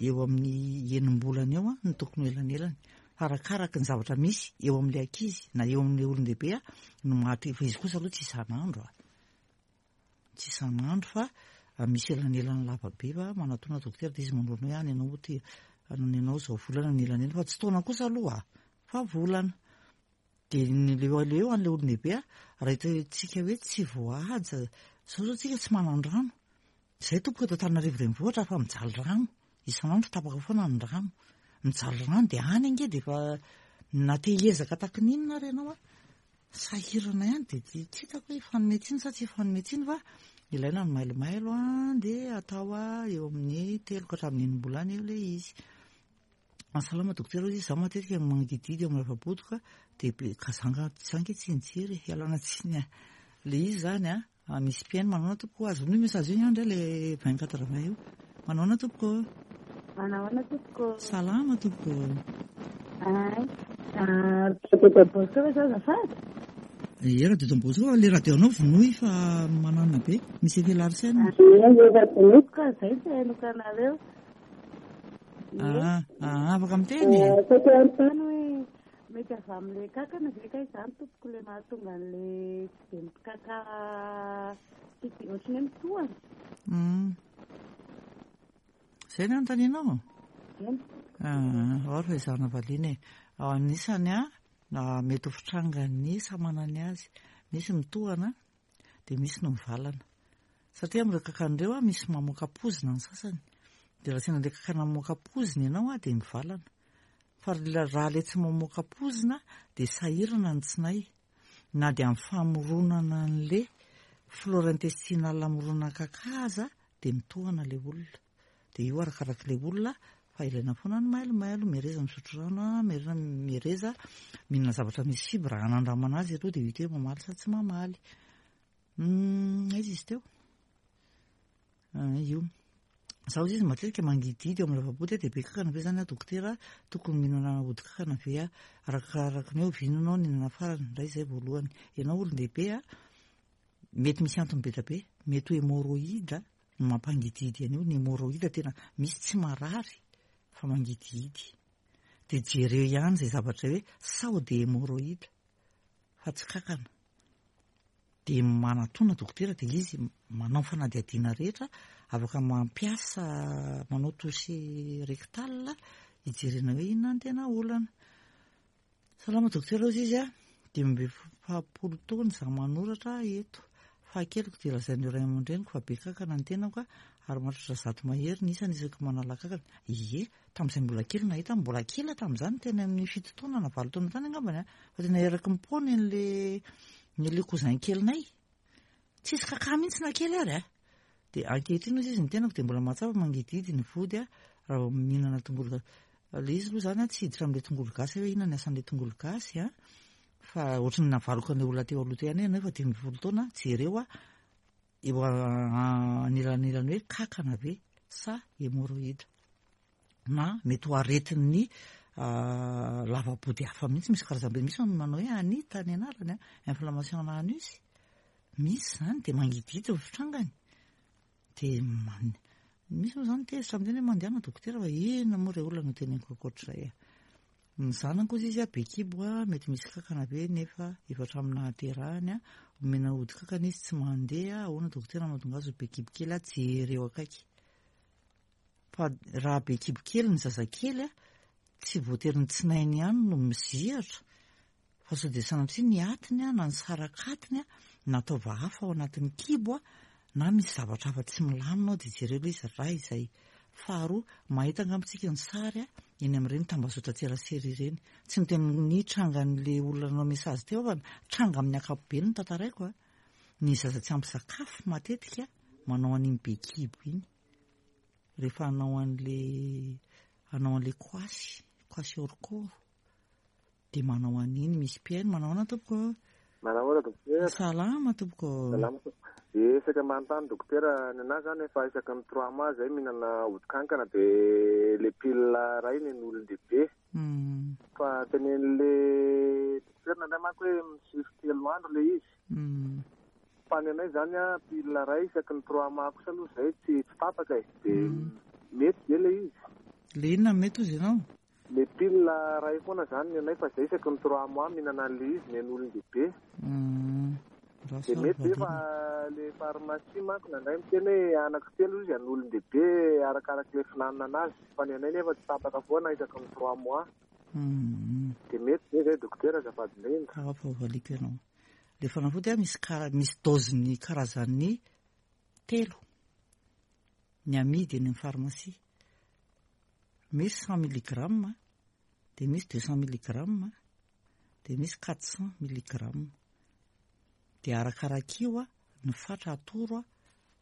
eo amin'ny enim-bolana eo no tokony ho elanelany. Fa arakaraky ny zavatra misy eo amin'ilay ankizy na eo amin'ilay olon-dehibe no maha-te, fa izy kosa aloha tsy isan'andro a. Tsy isan'andro fa misy elanelany lava be fa manatona dokotera dia izy manoro anao hoe any ianao ty, any ianao izao volana ny elanelany fa tsy taona kosa aloha fa volana. Dia ny leo aleo an'ilay olon-dehibe raha hitantsika hoe tsy voahaja, izao izao tsika tsy manan-drano. Izay tompoko eto Antananarivo renivohitra fa mijaly rano, isan'andro tapaka foana ny rano. Mijaly rano dia any ange dia efa na te hiezaka taky ny inona ary ianao an, sahirana ihany dia tsy hitako hoe hifanome tsiny sa tsy hifanome tsiny fa ilaina ny mailomailo an, dia atao eo amin'ny telo ka hatramin'ny enim-bolana eo ilay izy. Salama dokotera hoy izy, izaho matetika mangidihidy eo amin'ny lava-bodoka dia be kazanga za ange tsy nijery e, ialana tsiny a. Ilay izy izany a, misy mpihaino manaona tompoko, azonao io message io ihany re ilay 24 20 io. Manaona tompoko. Manahoana tompoko. Salama tompoko. Ay, radio Don Bosco ve zao azafady? Ie, radio Don Bosco, fa ilay radio anao vonoy fa mananona be, misy effet Larsen. Ie, efa vonoiko ka izay tsy hainoko anareo. Ah, ah, afaka miteny e. Saika hanontany hoe mety avy amin'ilay kankana ve kay izany tompoko ilay mahatonga an'ilay tsy dia mikaka tsy dia ohatran'ny hoe mitohana? Hmm. Izay ny anontanianao? Eny. Ah, ao ry ezahana valiana e. Ao anisany a. Na mety ho fitrangan'ny samy manana ny azy. Misy mitohana dia misy no mivalana. Satria amin'ireo kankana ireo misy mamoaka poizina ny sasany. Dia raha sendra ilay kankana mamoaka poizina ianao dia mivalana. Fa raha ilay tsy mamoaka poizina dia sahirana ny tsinay. Na dia amin'ny famoronana an'ilay flore intestinale hamorona kaka aza dia mitohana ilay olona. Dia io arakarak'ilay olona fa ilaina foana ny mailomailo, mihereza misotro rano, mihereza mihereza mihinana zavatra misy fibre hanandramana azy aloha dia hita hoe mamaly sa tsy mamaly. Aiza izy teo? Ah, io. Zaho izy matetika mangidihidy eo amin'ny lava-body dia be kankana ve zany aho dokotera? Tokony mihinana ody kankana ve aho? Arakaraka ny hoe oviana ianao nihinana farany, indray izay voalohany. Ianao olon-dehibe a, mety misy antony be dia be, mety ho hémorroïde no mampangidihidy an'io, ny hémorroïde tena misy tsy marary fa mangidihidy. Dia jereo ihany izay zavatra hoe sao dia hémorroïde fa tsy kankana. Dia manatona dokotera dia izy manao fanadihadiana rehetra, afaka mampiasa manao toucher rectal hijerena hoe inona ny tena olana. Salama dokotera hozy izy a, 45 taona izaho manoratra eto. Fahakeliko dia lazain'ireo ray aman-dreniko fa be kankana ny tenako ary mahatratra 100 mahery ny isany isaky manala kankana. Ie, tamin'izay mbola kely nahita aho, mbola kely aho tamin'izany, teny amin'ny 7 taona na 8 taona tany angambany a, fa tena eraky ny pony an'le ny le cousin kelinay. Tsisy kaka mihitsy na kely ary a. Dia ankehitriny hozy izy ny tenako dia mbola mahatsapa mangidihidy ny vody a, raha vao mihinana tongolo gasy. Ilay izy aloha izany a, tsy hiditra amin'ilay tongolo gasy hoe inona ny asan'ilay tongolo gasy a, fa ohatran'ny navaloko an'ilay olona teo aloha teo ihany hoe ianao efa 15 taona, jereo a, eo anelanelany hoe kankana ve sa hémorroïde na mety ho aretin'ny lava-body hafa mihitsy, misy karazam-be, misy ny manao hoe anita ny anarany a, inflammation ana anus, misy izany dia mangidihidy ny fitrangany, dia misy moa izany tezitra miteny hoe mandehana dokotera fa inona moa ireo olona no teneniko ankoatr'izay a. Ny zanako hozy izy a, be kibo a, mety misy kankana be nefa efa hatramin'ny nahaterahany a, omena ody kankana izy tsy mandeha, ahoana dokotera mahatonga azy ho be kibo kely a, jereo akaiky. Fa raha be kibo kely ny zazakely a, tsy voatery ny tsinainy ihany no mizihatra fa sao dia sanatria ny atiny a, na ny sarak'atiny a, na taova hafa ao anatin'ny kibo a, na misy zavatra hafa tsy milamina ao dia jereo ilay izy raha izay. Faharoa, mahita angamba tsika ny sary a, eny amin'ireny tambazotran-tserasera ireny. Tsy miteny ny trangan'ilay olona nanao message teo aho fa tranga amin'ny ankapobeny no tantaraiko a. Ny zaza tsy ampy sakafo matetika manao an'iny be kibo iny. Rehefa hanao an'ilay hanao an'ilay koasy, koasy orokoro. Dia manao an'iny misy mpihaino. Manao ahoana tompoko ô? Manao ahoana dokotera? Salama tompoko ô. Salama tompoko. Dia saika manontany dokotera, ny anahy zany efa isaky ny trois mois zay mihinana ody kankana dia le pilule iray ny an'olon-dehibe. Fa tenenin'le dokotera nandray manko hoe misy telo andro le izy. Fa ny anay zany an, pilule iray isaky ny trois mois kosa aloha zay tsy tsy tapaka e. Dia mety ve le izy? Le inona no mety hozy ianao? Le pile ray foana zany ny anay fa zay isaky ny trois mois mihinana anle izy ny an'olon-dehibe. De mety ve fa le pharmacie manko nandray miteny hoe anaky telo izy an'olon-dehibe arakarak'le fihinanana anazy fa ny anay nefa tsy tapaka foana isaky ny trois mois. De mety ve zay dokotera azafady indrindra. Hafa ho valiako ianao. Le fanafody a misy kara misy dose-ny karazany telo ny amidy eny amin'ny pharmacie. Misy cent milligramme, dia misy 200 milligramme, dia misy 400 milligramme. Dia arakarak'io ny fatra atoro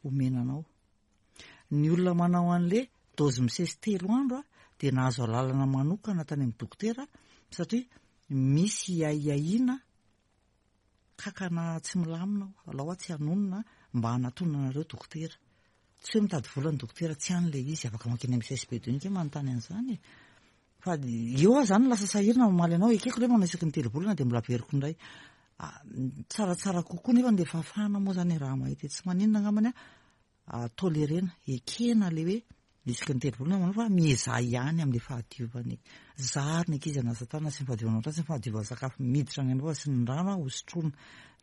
omena anao. Ny olona manao an'le dose misesy telo andro dia nahazo alalana manokana tany amin'ny dokotera satria misy ahiahiana Kakana tsy milamina aho, alao aho tsy hanonona mba hanatonana anareo dokotera. Tsy hoe mitady vola ny dokotera, tsy any ilay izy, afaka mankeny amin'ny CSB deux nge manontany an'izany e. Fa eo aho izany lasa sahirana mamaly anao, ekeko ilay manao isaky ny telo volana dia mbola averiko indray. Tsaratsara kokoa nefa ilay fahafahana moa izany raha mahita e, tsy maninona angambany aho tolerena, ekena ilay hoe Isaky ny telo volana manao fa miezaha ihany amin'ilay fahadiovana e. Zaro ny ankizy hanasa tanana sy ny fahadiovana ohatrany sy ny fahadiovan'ny sakafo miditra any am-bava sy ny rano ho sotroina.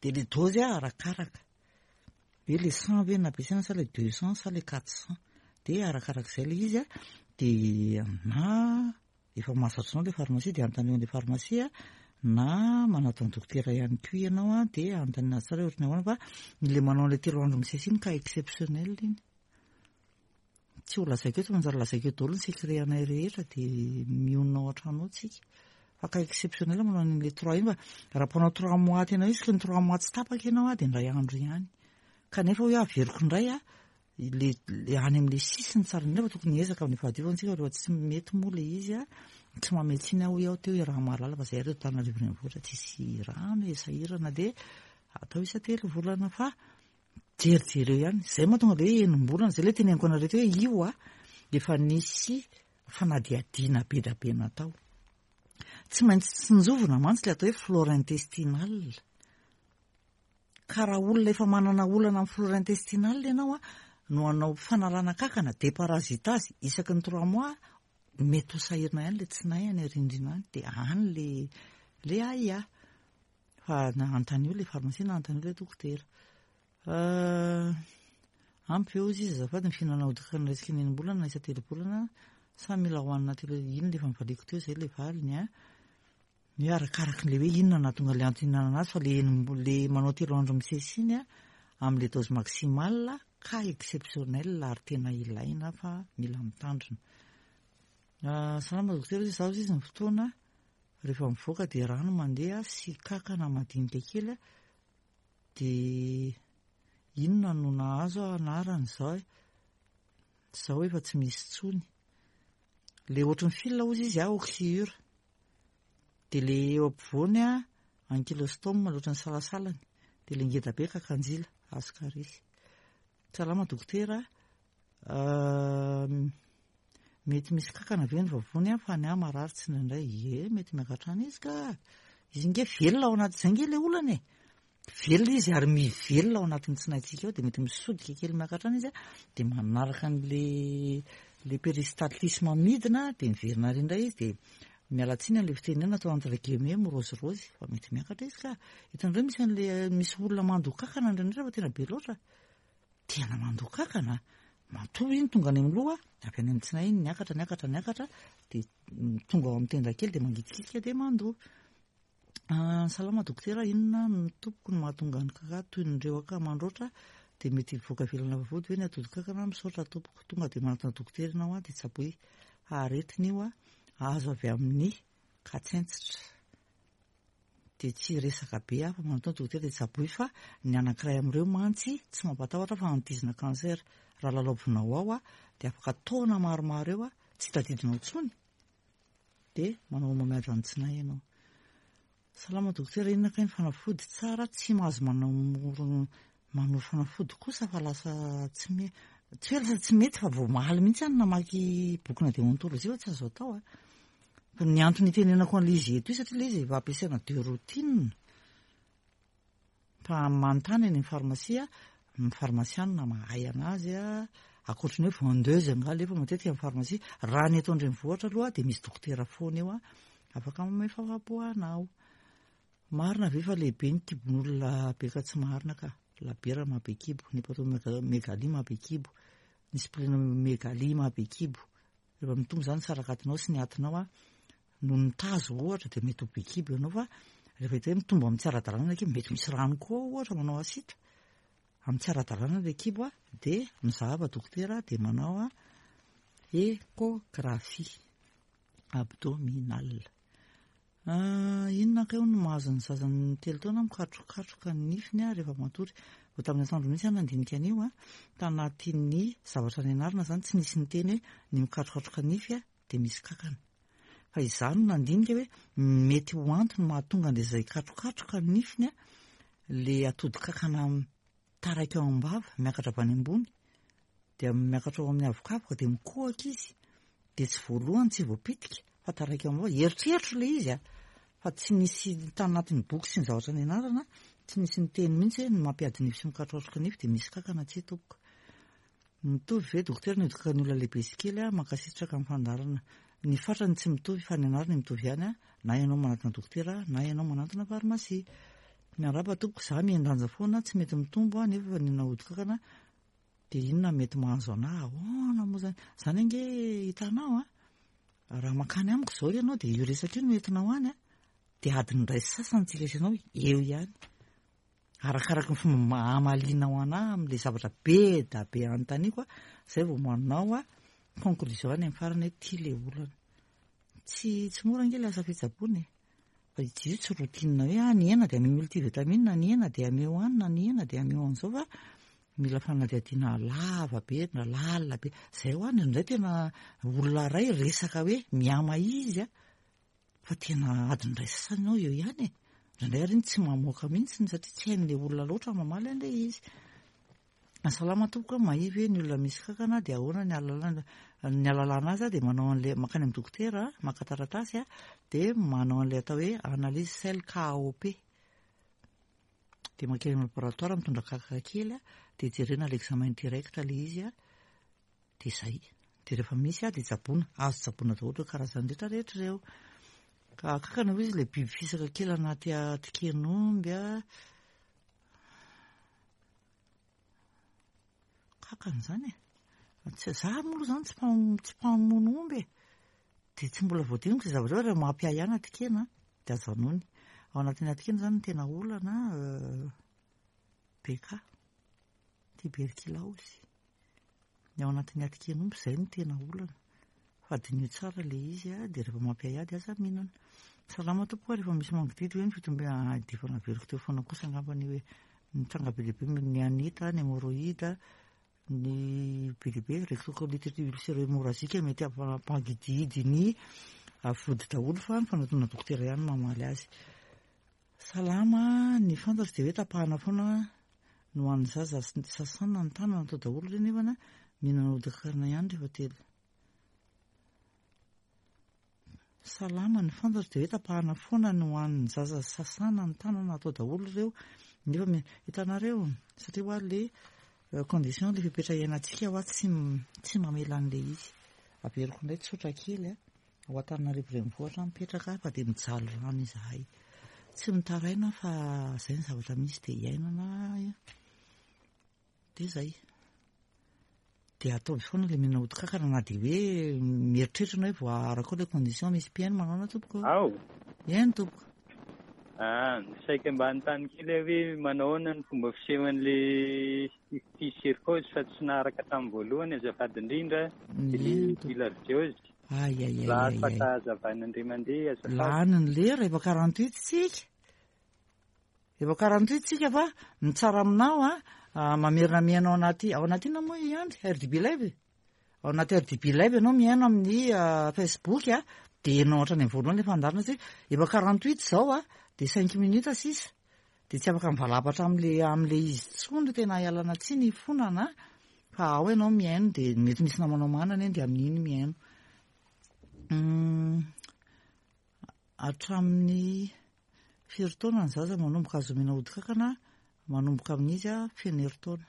Dia ilay dose arakaraka. Hoe ilay 100 ve no ampiasaina sa ilay 200 sa ilay 400. Dia arakarak'izay ilay izy dia na efa mahazatra anao ilay pharmacie dia anontanio an'ilay pharmacie. na manatona dokotera ihany koa ianao an, dia anontaniana azy tsara hoe ohatran'ny ahoana fa ilay manao an'ilay telo andro misesy iny cas exceptionnel iny. Tsy ho lazaiko eto, manjary lazaiko eo daholo ny secret anay rehetra dia mionona ao an-trano ao tsika. Fa cas exceptionnel manao an'ilay trois iny fa raha mpanao trois mois tena hoe isaky ny trois mois tsy tapaka ianao an, dia indray andro ihany. Kanefa hoy aho averiko indray an, le le any amin'ilay sisiny tsara indrindra fa tokony hiezaka amin'ny fahadiovana tsika rehefa tsy mety moa ilay izy an, tsy manome tsiny aho hoy aho teo iaraha mahalala fa zay ary eto Antananarivo renivohitra tsisy rano e, sahirana dia atao isa-telo volana fa jerijereo ihany, zay mahatonga le hoe enim-bolana, zay le teneniko anareo teo hoe io an efa nisy fanadihadiana be dia be natao. Tsy maintsy tsinjovina mantsy ilay atao hoe flore intestinale. Ka raha olona efa manana olana amin'ny flore intestinale ianao an, no hanao fanalana kankana, déparasitage, isaky ny trois mois, mety ho sahirana ihany ilay tsinay any arindrina any, dia any le le ahiahy. Fa na anontanio ilay pharmacie na anontanio ilay dokotera. Ampy ve hozy izy azafady ny fihinanana ody-kankana isaky ny enim-bolana na isa-telobolana sa mila hohanina telo iny ilay efa novaliko teo izay ilay valiny an. Ny hoe arakaraky ilay hoe inona no nahatonga ilay antony hihinanana azy fa ilay enim-, ilay manao telo andro misesy iny an, amin'ilay dose maximale, cas exceptionnel ary tena ilaina fa mila mitandrina. Salama dokotera, hoy izaho izy ny fotoana rehefa mivoaka dia rano mandeha sy kankana madinika kely dia inona no nahazo aho anarany izao e? Izao efa tsy misy intsony. Le ohatry ny fil hozy izy a, oxyure. Dia le eo ampovoany a, ankylostome, le ohatry ny salasalany. Dia le ngeda be kakanjila, ascaris. Salama dokotera a, mety misy kankana ve ny vavony a, fa ny ahy marary tsy indraindray. Ie, mety miakatra any izy ka. Izy nge velona ao anaty, izay nge le olana e. Velona izy ary mivelona ao anatin'ny tsinaintsika ao dia mety misodika kely miakatra any izy dia manaraka an'le le peristaltisme midina dia miverina ary indray izy dia miala tsiny an'le fitenenana atao entre guillemets mirozirozy fa mety miakatra izy ka. Hitanareo misy an'le misy olona mandoa kankana indraindray fa tena be loatra. Tena mandoa kankana. Matoa iny tonga any amin'ny loha, avy any amin'ny tsinay iny niakatra niakatra niakatra dia tonga ao amin'ny tenda kely dia mangitikika dia mandoa. Salama dokotera, inona no tompoko no mahatonga ny kaka toy ny rewaka mandroatra dia mety hivoaka ivelana vavahody ve ny atodin-kankana? Misaotra tompoko. Tonga dia manatona dokotera ianao an, dia tsaboy fa aretina io an, azo avy amin'ny katsentsitra. Dia tsy hiresaka be aho fa manatona dokotera dia tsaboy fa ny anankiray amin'ireo mantsy tsy mampatahotra fa antizina cancer. Raha lalaovinao ao an, dia afaka taona maromaro eo an, tsy tadidinao intsony. Dia manao homamiadana tsinay ianao. Salama dokotera, inona kay ny fanafody tsara tsy mahazo manamoro manoro fanafody kosa fa lasa tsy me tsy hoe lasa tsy mety fa vao omaly mihitsy aho no namaky bokina déontologie fa tsy azo atao a. Fa ny antony itenenako an'ilay izy eto io satria ilay izy efa ampiasaina de routine. Fa manontany any amin'ny pharmacie, ny pharmaciana mahay anazy, ankoatry ny hoe vendeuse angaha alefa matetika amin'ny pharmacie. Raha ny eto an-drenivohitra aloha dia misy dokotera foana eo afaka manome fahafahampo anao. Marina ve fa lehibe ny kibon'olona be ka tsy marina ka. Labiera maha be kibo, ny hepatomegalie maha be kibo, ny splenomegalie maha be kibo. Rehefa mitombo izany ny sarakatinao sy ny atinao noho ny tazo ohatra dia mety ho be kibo ianao fa rehefa hita hoe mitombo amin'ny tsy ara-dalàna ilay kibo, mety misy rano koa ao ohatra manao asita, amin'ny tsy ara-dalàna ilay kibo dia mizahava dokotera dia manao échographie abdominale. Inona kay hono no mahazo ny zaza ny telo taona mikatrokatroka ny nifiny rehefa matory? Vao tamin'ny atoandro mihitsy aho nandinika an'io an, tanatin'ny zavatra nianarana izany tsy nisy niteny hoe ny mikatrokatroka nify dia misy kankana. Fa izaho no nandinika hoe mety ho antony mahatonga an'ilay izay katrokatroka ny nifiny ilay atodin-kankana taraiky ao am-bava, miakatra avy any ambony, dia miakatra ao amin'ny avokavoka dia mikohaka izy, dia tsy voalohany tsy voapitika fa taraiky ao am-bava. Eritreritro ilay izy a, fa tsy nisy tanatin'ny boky sy ny zavatra nianarana, tsy nisy niteny mihitsy hoe ny mampiady nify sy mikatrokatroka nify dia misy kankana tsia tompoko. Mitovy ve dokotera ny hodi-kakan'ny olona lehibe sy kely a? Mankasitraka amin'ny fandaharana. Ny fatrany tsy mitovy fa ny anarany mitovy ihany a, na ianao manantona dokotera na ianao manantona pharmacie. Miarahaba tompoko, za mihen-danja foana, tsy mety mitombo aho nefa efa nihinana hodi-kankana dia inona mety mahazo anah? Ahoana moa zany? Zany ange hitanao a, raha mankany amiko izao ianao dia io resaka io no entinao any a. Dia adiny iray sy sasany tsika sy ianao eo ihany. Arakaraky ny fomba hamalianao anah amin'ilay zavatra be da be anontaniako a, zay vao manao a conclusion any amin'ny farany hoe ity ilay olana. Tsy tsy mora ange ilay asa fitsaboana e. Fa izy io tsy routine hoe ah ny hena dia ameo multivitamine, ny hena dia ameo anona, ny hena dia ameo an'izao fa mila fanadihadiana lava be na lalina be. Zay hoa indraindray tena olona iray resaka hoe miama izy a. Fa tena adiny iray sasany ianao eo ihany e. Indraindray ary iny tsy mamoaka mihitsy satria tsy hain'ilay olona loatra mamaly an'ilay izy. Salama tompoko a, mahia ve ny olona misy kankana dia ahoana ny ahalalana ny ahalalana azy dia manao an'ilay mankany amin'ny dokotera maka taratasy dia manao an'ilay atao hoe analyse sel KOP. Dia mankeny amin'ny laboratoire mitondra kaka kely dia jerena l'examen direct ilay izy Dia izay. Dia rehefa misy dia tsaboina. Azo tsaboina daholo ireo karazany rehetra rehetra ireo. Ka kankana hoy izy ilay biby fisaka kely anaty atiken'omby a. Kankana izany e. Tsy za moa aloha izany tsy tsy mpamono omby e. Dia tsy mbola voadiniko izay zavatra izay, raha mampiahiahy ny atikena dia ajanony. Ao anatin'ny atikena izany no tena olana BK, tuberculose. Ny ao anatin'ny atiken'omby izay no tena olana. Fa diniho tsara ilay izy a, dia rehefa mampiahiahy dia aza mihinana. Salama tompoko a, rehefa misy mangidihidy ve ny fitombe ah, dia efa naveriko teo foana kosa angambany io hoe mitranga be dia be ny anita, ny hémorroïde, ny be dia be, rectocolite ulcéro-hémorragique mety hampangidihidy ny vody daholo fa ny fanatona dokotera ihany no mamaly azy. Salama, ny fantatro dia hoe tapahana foana no ho an'ny zaza sasana ny tanana atao daholo ireny nefa mihinana ody-karana ihany rehefa telo. Salama, ny fantatro dia hoe tapahana foana no ho an'ny zaza sasana ny tanana atao daholo ireo nefa hitanareo satria hoa le condition le fepetra iainantsika hoa tsy tsy mamela an'le izy. Averiko indray tsotra kely a. Ao Antananarivo renivohitra aho mipetraka fa dia mijaly rano izahay. Tsy mitaraina fa izay ny zavatra misy dia iainana dia izay. Dia ataovy foana ilay mihinana odi-kankana na dia hoe mieritreritra ianao hoe voaaraka ao ilay condition misy mpihaino manao na tompoko. Ao. Eny tompoko. Ah, saika mba hanontany kely aho hoe manao ahoana ny fomba fisehon'ilay cysticercose fa tsy naharaka tamin'ny voalohany azafady indrindra, ilay bilharziose. Ay ay ay Raha ay afaka ay. hazavaina indray mandeha azafady. Lany ny lera, efa 48 tsika. Efa 48 tsika fa ny tsara aminao a, ah, mamerina mihaino ao anaty, ao anaty inona moa i Andry? RDB Live? Ao anaty RDB Live ianao mihaino amin'ny ah, Facebook a, dia ianao hatrany amin'ny voalohany efa andarina satria efa 48 izao a, dia 5 minutes sisa. Dia tsy afaka mivalapatra amin'le amin'le izy intsony tena ialana tsiny hifonana fa ao ianao mihaino dia mety misy namanao manana eny dia amin'iny mihaino. Hatramin'ny firy taona ny zaza manomboka azo omena ody kankana manomboka amin'izy feno herintaona.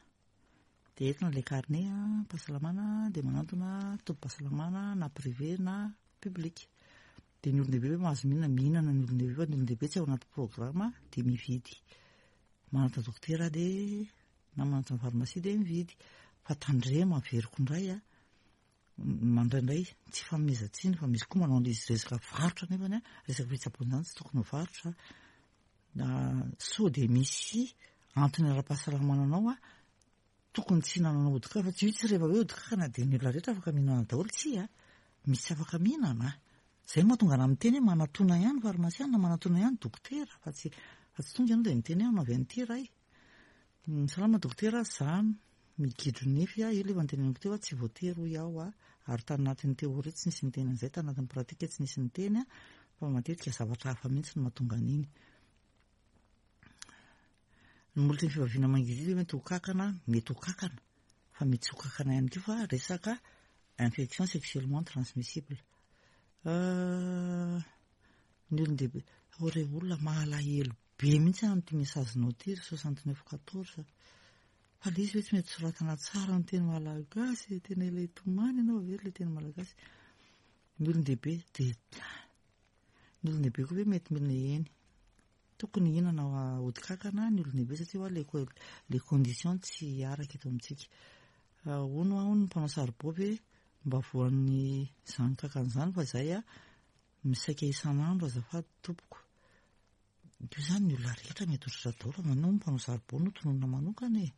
Dia entina ilay carnet pahasalamana dia manantona tobim-pahasalamana na privé na public. Dia ny olon-dehibe ve mahazo mihinana? Mihinana ny olon-dehibe fa ny olon-dehibe tsy ao anaty programme dia mividy. Manantona dokotera dia na manantona pharmacie dia mividy. Fa tandremo averiko indray a, mandraindray tsy fanomezan-tsiny fa misy koa manao an'izy resaka varotra nefany a, resaka fitsaboana izany tsy tokony ho varotra. Na sao dia misy antony ara-pahasalamana anao a, Tokony tsy hinanana ody kaka fa tsy io tsy rehefa hoe ody kakana dia ny olona rehetra afaka mihinana daholo tsia misy tsy afaka mihinana zay mahatonga anah miteny hoe manatona ihany pharmacien na manatona ihany dokotera fa tsy fa tsy tonga ianao dia miteny hoe anaovy an'ity ray salama dokotera za migidro nify aho io le efa noteneniko teo tsy voatery hoy aho a ary tanatin'ny théorie tsy nisy niteny an'izay tanatin'ny pratique tsy nisy niteny fa matetika zavatra hafa mihitsy no mahatonga an'iny Ny molotry ny fivaviana mangidihidy mety ho kakana, mety ho kakana, fa mety tsy ho kakana ihany koa fa resaka infection sexuellement transmissible. Ny olon-dehibe, oh re olona mahalahelo be mihitsy aho amin'ity message-nao ity ry 69 14. Fa ilay izy ve tsy mety soratana tsara amin'ny teny malagasy, tena ilay tomany ianao ve ilay teny malagasy. Ny olon-dehibe dia ny olon-dehibe koa ve mety mila eny. Tokony hihinana ody kankana ny olon-dehibe satria hoa le le condition tsy araka eto amintsika. Hono hoa hono ny mpanao saribao ve mba voan'ny izany kankana izany fa izay a misaika isan'andro azafady tompoko. Io izany ny olona rehetra mety ho tratra daholo fa manao mpanao saribao no tononina manokana e.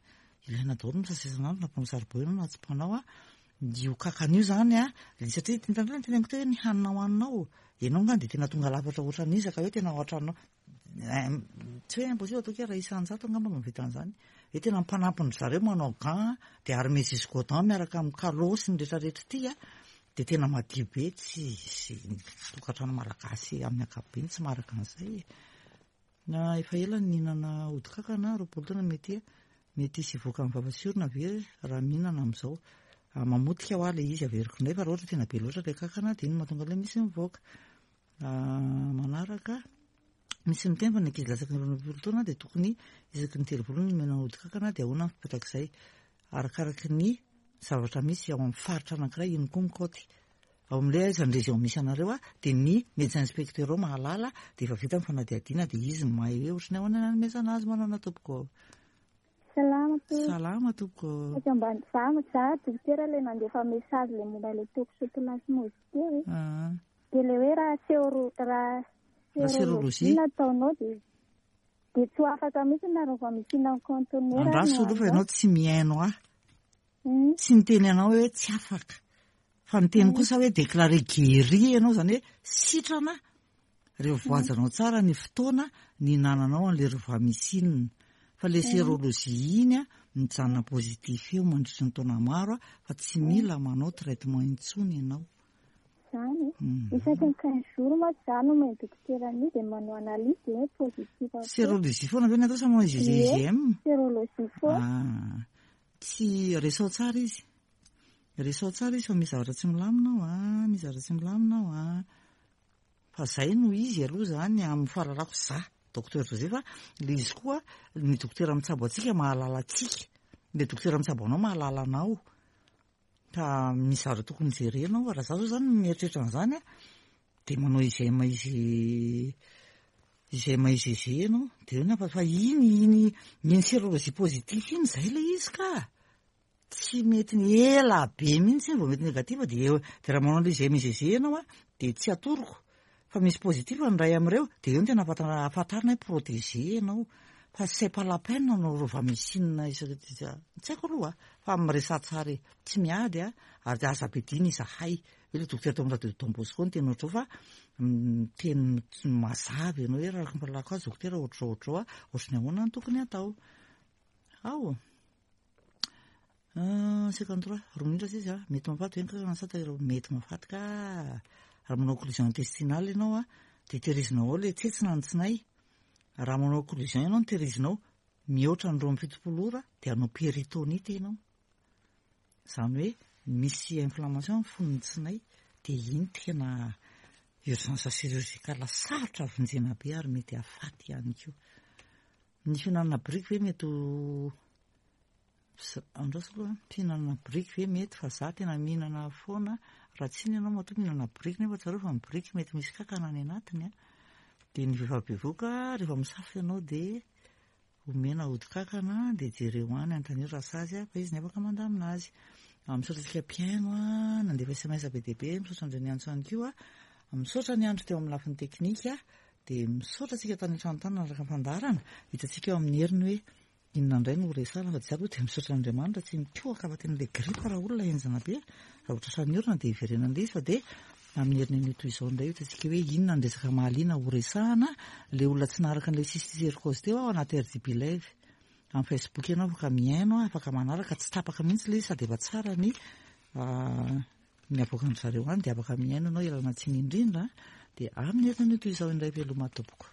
Ilaina daholo ny misasa isan'andro na mpanao saribao ianao na tsy mpanao a. Io kakana io izany a, satria indraindray ny teneniko teo hoe ny hanina hohaninao, ianao angamba dia tena tonga lafatra ohatran'iza ka hoe tena ao an-tranonao, tsy hoe impossible ataoko hoe iray isan-jato angamba no mahavita an'izany. Hoe tena mpanampy an-dry zareo manao gants dia armé jusqu'aux dents miaraka amin'ny calot sy ny rehetrarehetra ity a, dia tena madio be, tsy hisy tokantrano malagasy amin'ny ankapobeny tsy maharaka an'izay e. Na efa ela no nihinana ody kankana, 20 taona mety mety hisy hivoaka amin'ny vava sy orona ve raha mihinana amin'izao? Ah, mamotika hoa ilay izy averiko indray fa raha ohatra tena be loatra ilay kankana dia iny no mahatonga ilay misy mivoaka. Ah, manaraka, misy miteny fa ny ankizy latsaky ny 22 taona dia tokony isaky ny telo volana no omena ody kankana dia ahoana ny fipetraky Arakaraky ny zavatra misy ao amin'ny faritra anankiray iny koa ny kaoty. Ao amin'ilay aiza ny région misy anareo a, dia ny médecin inspecteur ao mahalala, dia efa vita ny fanadihadiana dia izy no mahay hoe ohatran'ny ahoana ny hanomezana azy. Manaona tompoko ô? Salama tompoko. Salama tompoko ô. Saika mba za za dokotera le nandefa message le momba le toxoplasmose teo e. Ah. Dia le hoe raha sero raha Raha sérologie nataonao dia Dia tsy ho afaka mihitsy nareo vao mihinana conteneur Andraso aloha fa ianao tsy mihaino ahy. Tsy niteny anao hoe tsy afaka. Fa niteny kosa hoe déclaré guéri ianao, izany hoe sitrana rehefa voahajanao tsara ny fotoana nihinananao an'ilay Rovamycine. Fa ilay sérologie iny mijanona positif eo mandritry ny taona maro fa tsy mila manao traitement intsony ianao. Zany e. Isaky ny 15 jours mantsy za no omeny dokotera an'io dia manao analyse dia hoe positif avokoa. Sérologie foana ve ny atao sa manao IgG Ie, IgM? sérologie foana. Ah, tsy resao tsara izy. Resao tsara izy fa misy zavatra tsy milamina ao an, misy zavatra tsy milamina ao an. Fa zay no izy aloha zany amin'ny fahalalako za, Docteur Joseph a, le izy koa ny dokotera mitsabo antsika mahalala antsika, le dokotera mitsabo anao mahalala anao. Ka misy zavatra tokony jerena ao, raha za zao zany mieritreritra an'izany a, de manao IGM IG IGM IGG ianao, de eo ny hafa fa iny iny iny sérologie positif iny zay le izy ka, tsy mety ny ela be mihitsy iny vao mety négatif de eo, de raha manao an'le IGM IGG ianao a, de tsy atoroko fa misy positif ny iray amin'ireo, de eo no tena ahafantarana hoe protégé ianao, fa c'est pas la peine hanao rovamycine isaky tsy haiko aloha fa miresaha tsara e, tsy miady a, ary aza ampiadiana izahay, io le dokotera tao amin'ny radio Don Bosco niteny ohatr'izao fa miteny mazava ianao hoe raha araka ny fahalalako azy dokotera ohatr'izao ohatr'izao a, ohatry ny ahoana no tokony hatao. Ao. 53, roa minitra sisa a, mety mahafaty ve ny kankana sa tairo? Mety mahafaty ka, raha manao occlusion intestinale ianao a, dia tehirizinao ao ilay tsetsina ny tsinay, raha manao occlusion ianao no tehirizinao mihoatra ny 72 ora dia hanao péritonite ianao, izany hoe misy inflammation ny fon'ny tsinay, dia iny tena urgence chirurgicale sarotra vonjena be ary mety hahafaty ihany koa. Ny fihinanana biriky ve mety ho Andraso aloha an, mpihinana biriky ve mety fa za tena mihinana foana, raha tsy inona ianao matoa mihinana biriky nefa tsarovy fa ny biriky mety misy kankana any anatiny an, dia ny vehivavy bevohoka rehefa misafo ianao dia omena hodi-kankana dia jereo any anontanio raha sazy fa izy ny afaka mandamina azy. Misaotra antsika mpihaino an, nandefa sms be dia be, misaotra an'ireo niantso ihany koa, misaotra ny andro teo amin'ny lafiny teknika, dia misaotra antsika tany an-trano tany nanaraka ny fandaharana, hitantsika eo amin'ny heriny hoe Inona indray no horesahana fa tsy za aloha dia misaotra an'Andriamanitra tsy mikohaka fa tena ilay grippe raha olona henjana be raha vao tratran'ny orana dia hiverenana ilay izy fa dia amin'ny heriny anio toy izao indray hitantsika hoe inona ny resaka mahaliana horesahana ilay olona tsy naharaka an'ilay cysticercose teo aho anaty RDB live amin'ny Facebook ianao afaka mihaino afaka manaraka tsy tapaka mihitsy ilay izy sady efa tsara ny ny avoakan-dry zareo any dia afaka mihaino ianao ialana tsiny indrindra dia amin'ny heriny anio toy izao indray veloma tompoko.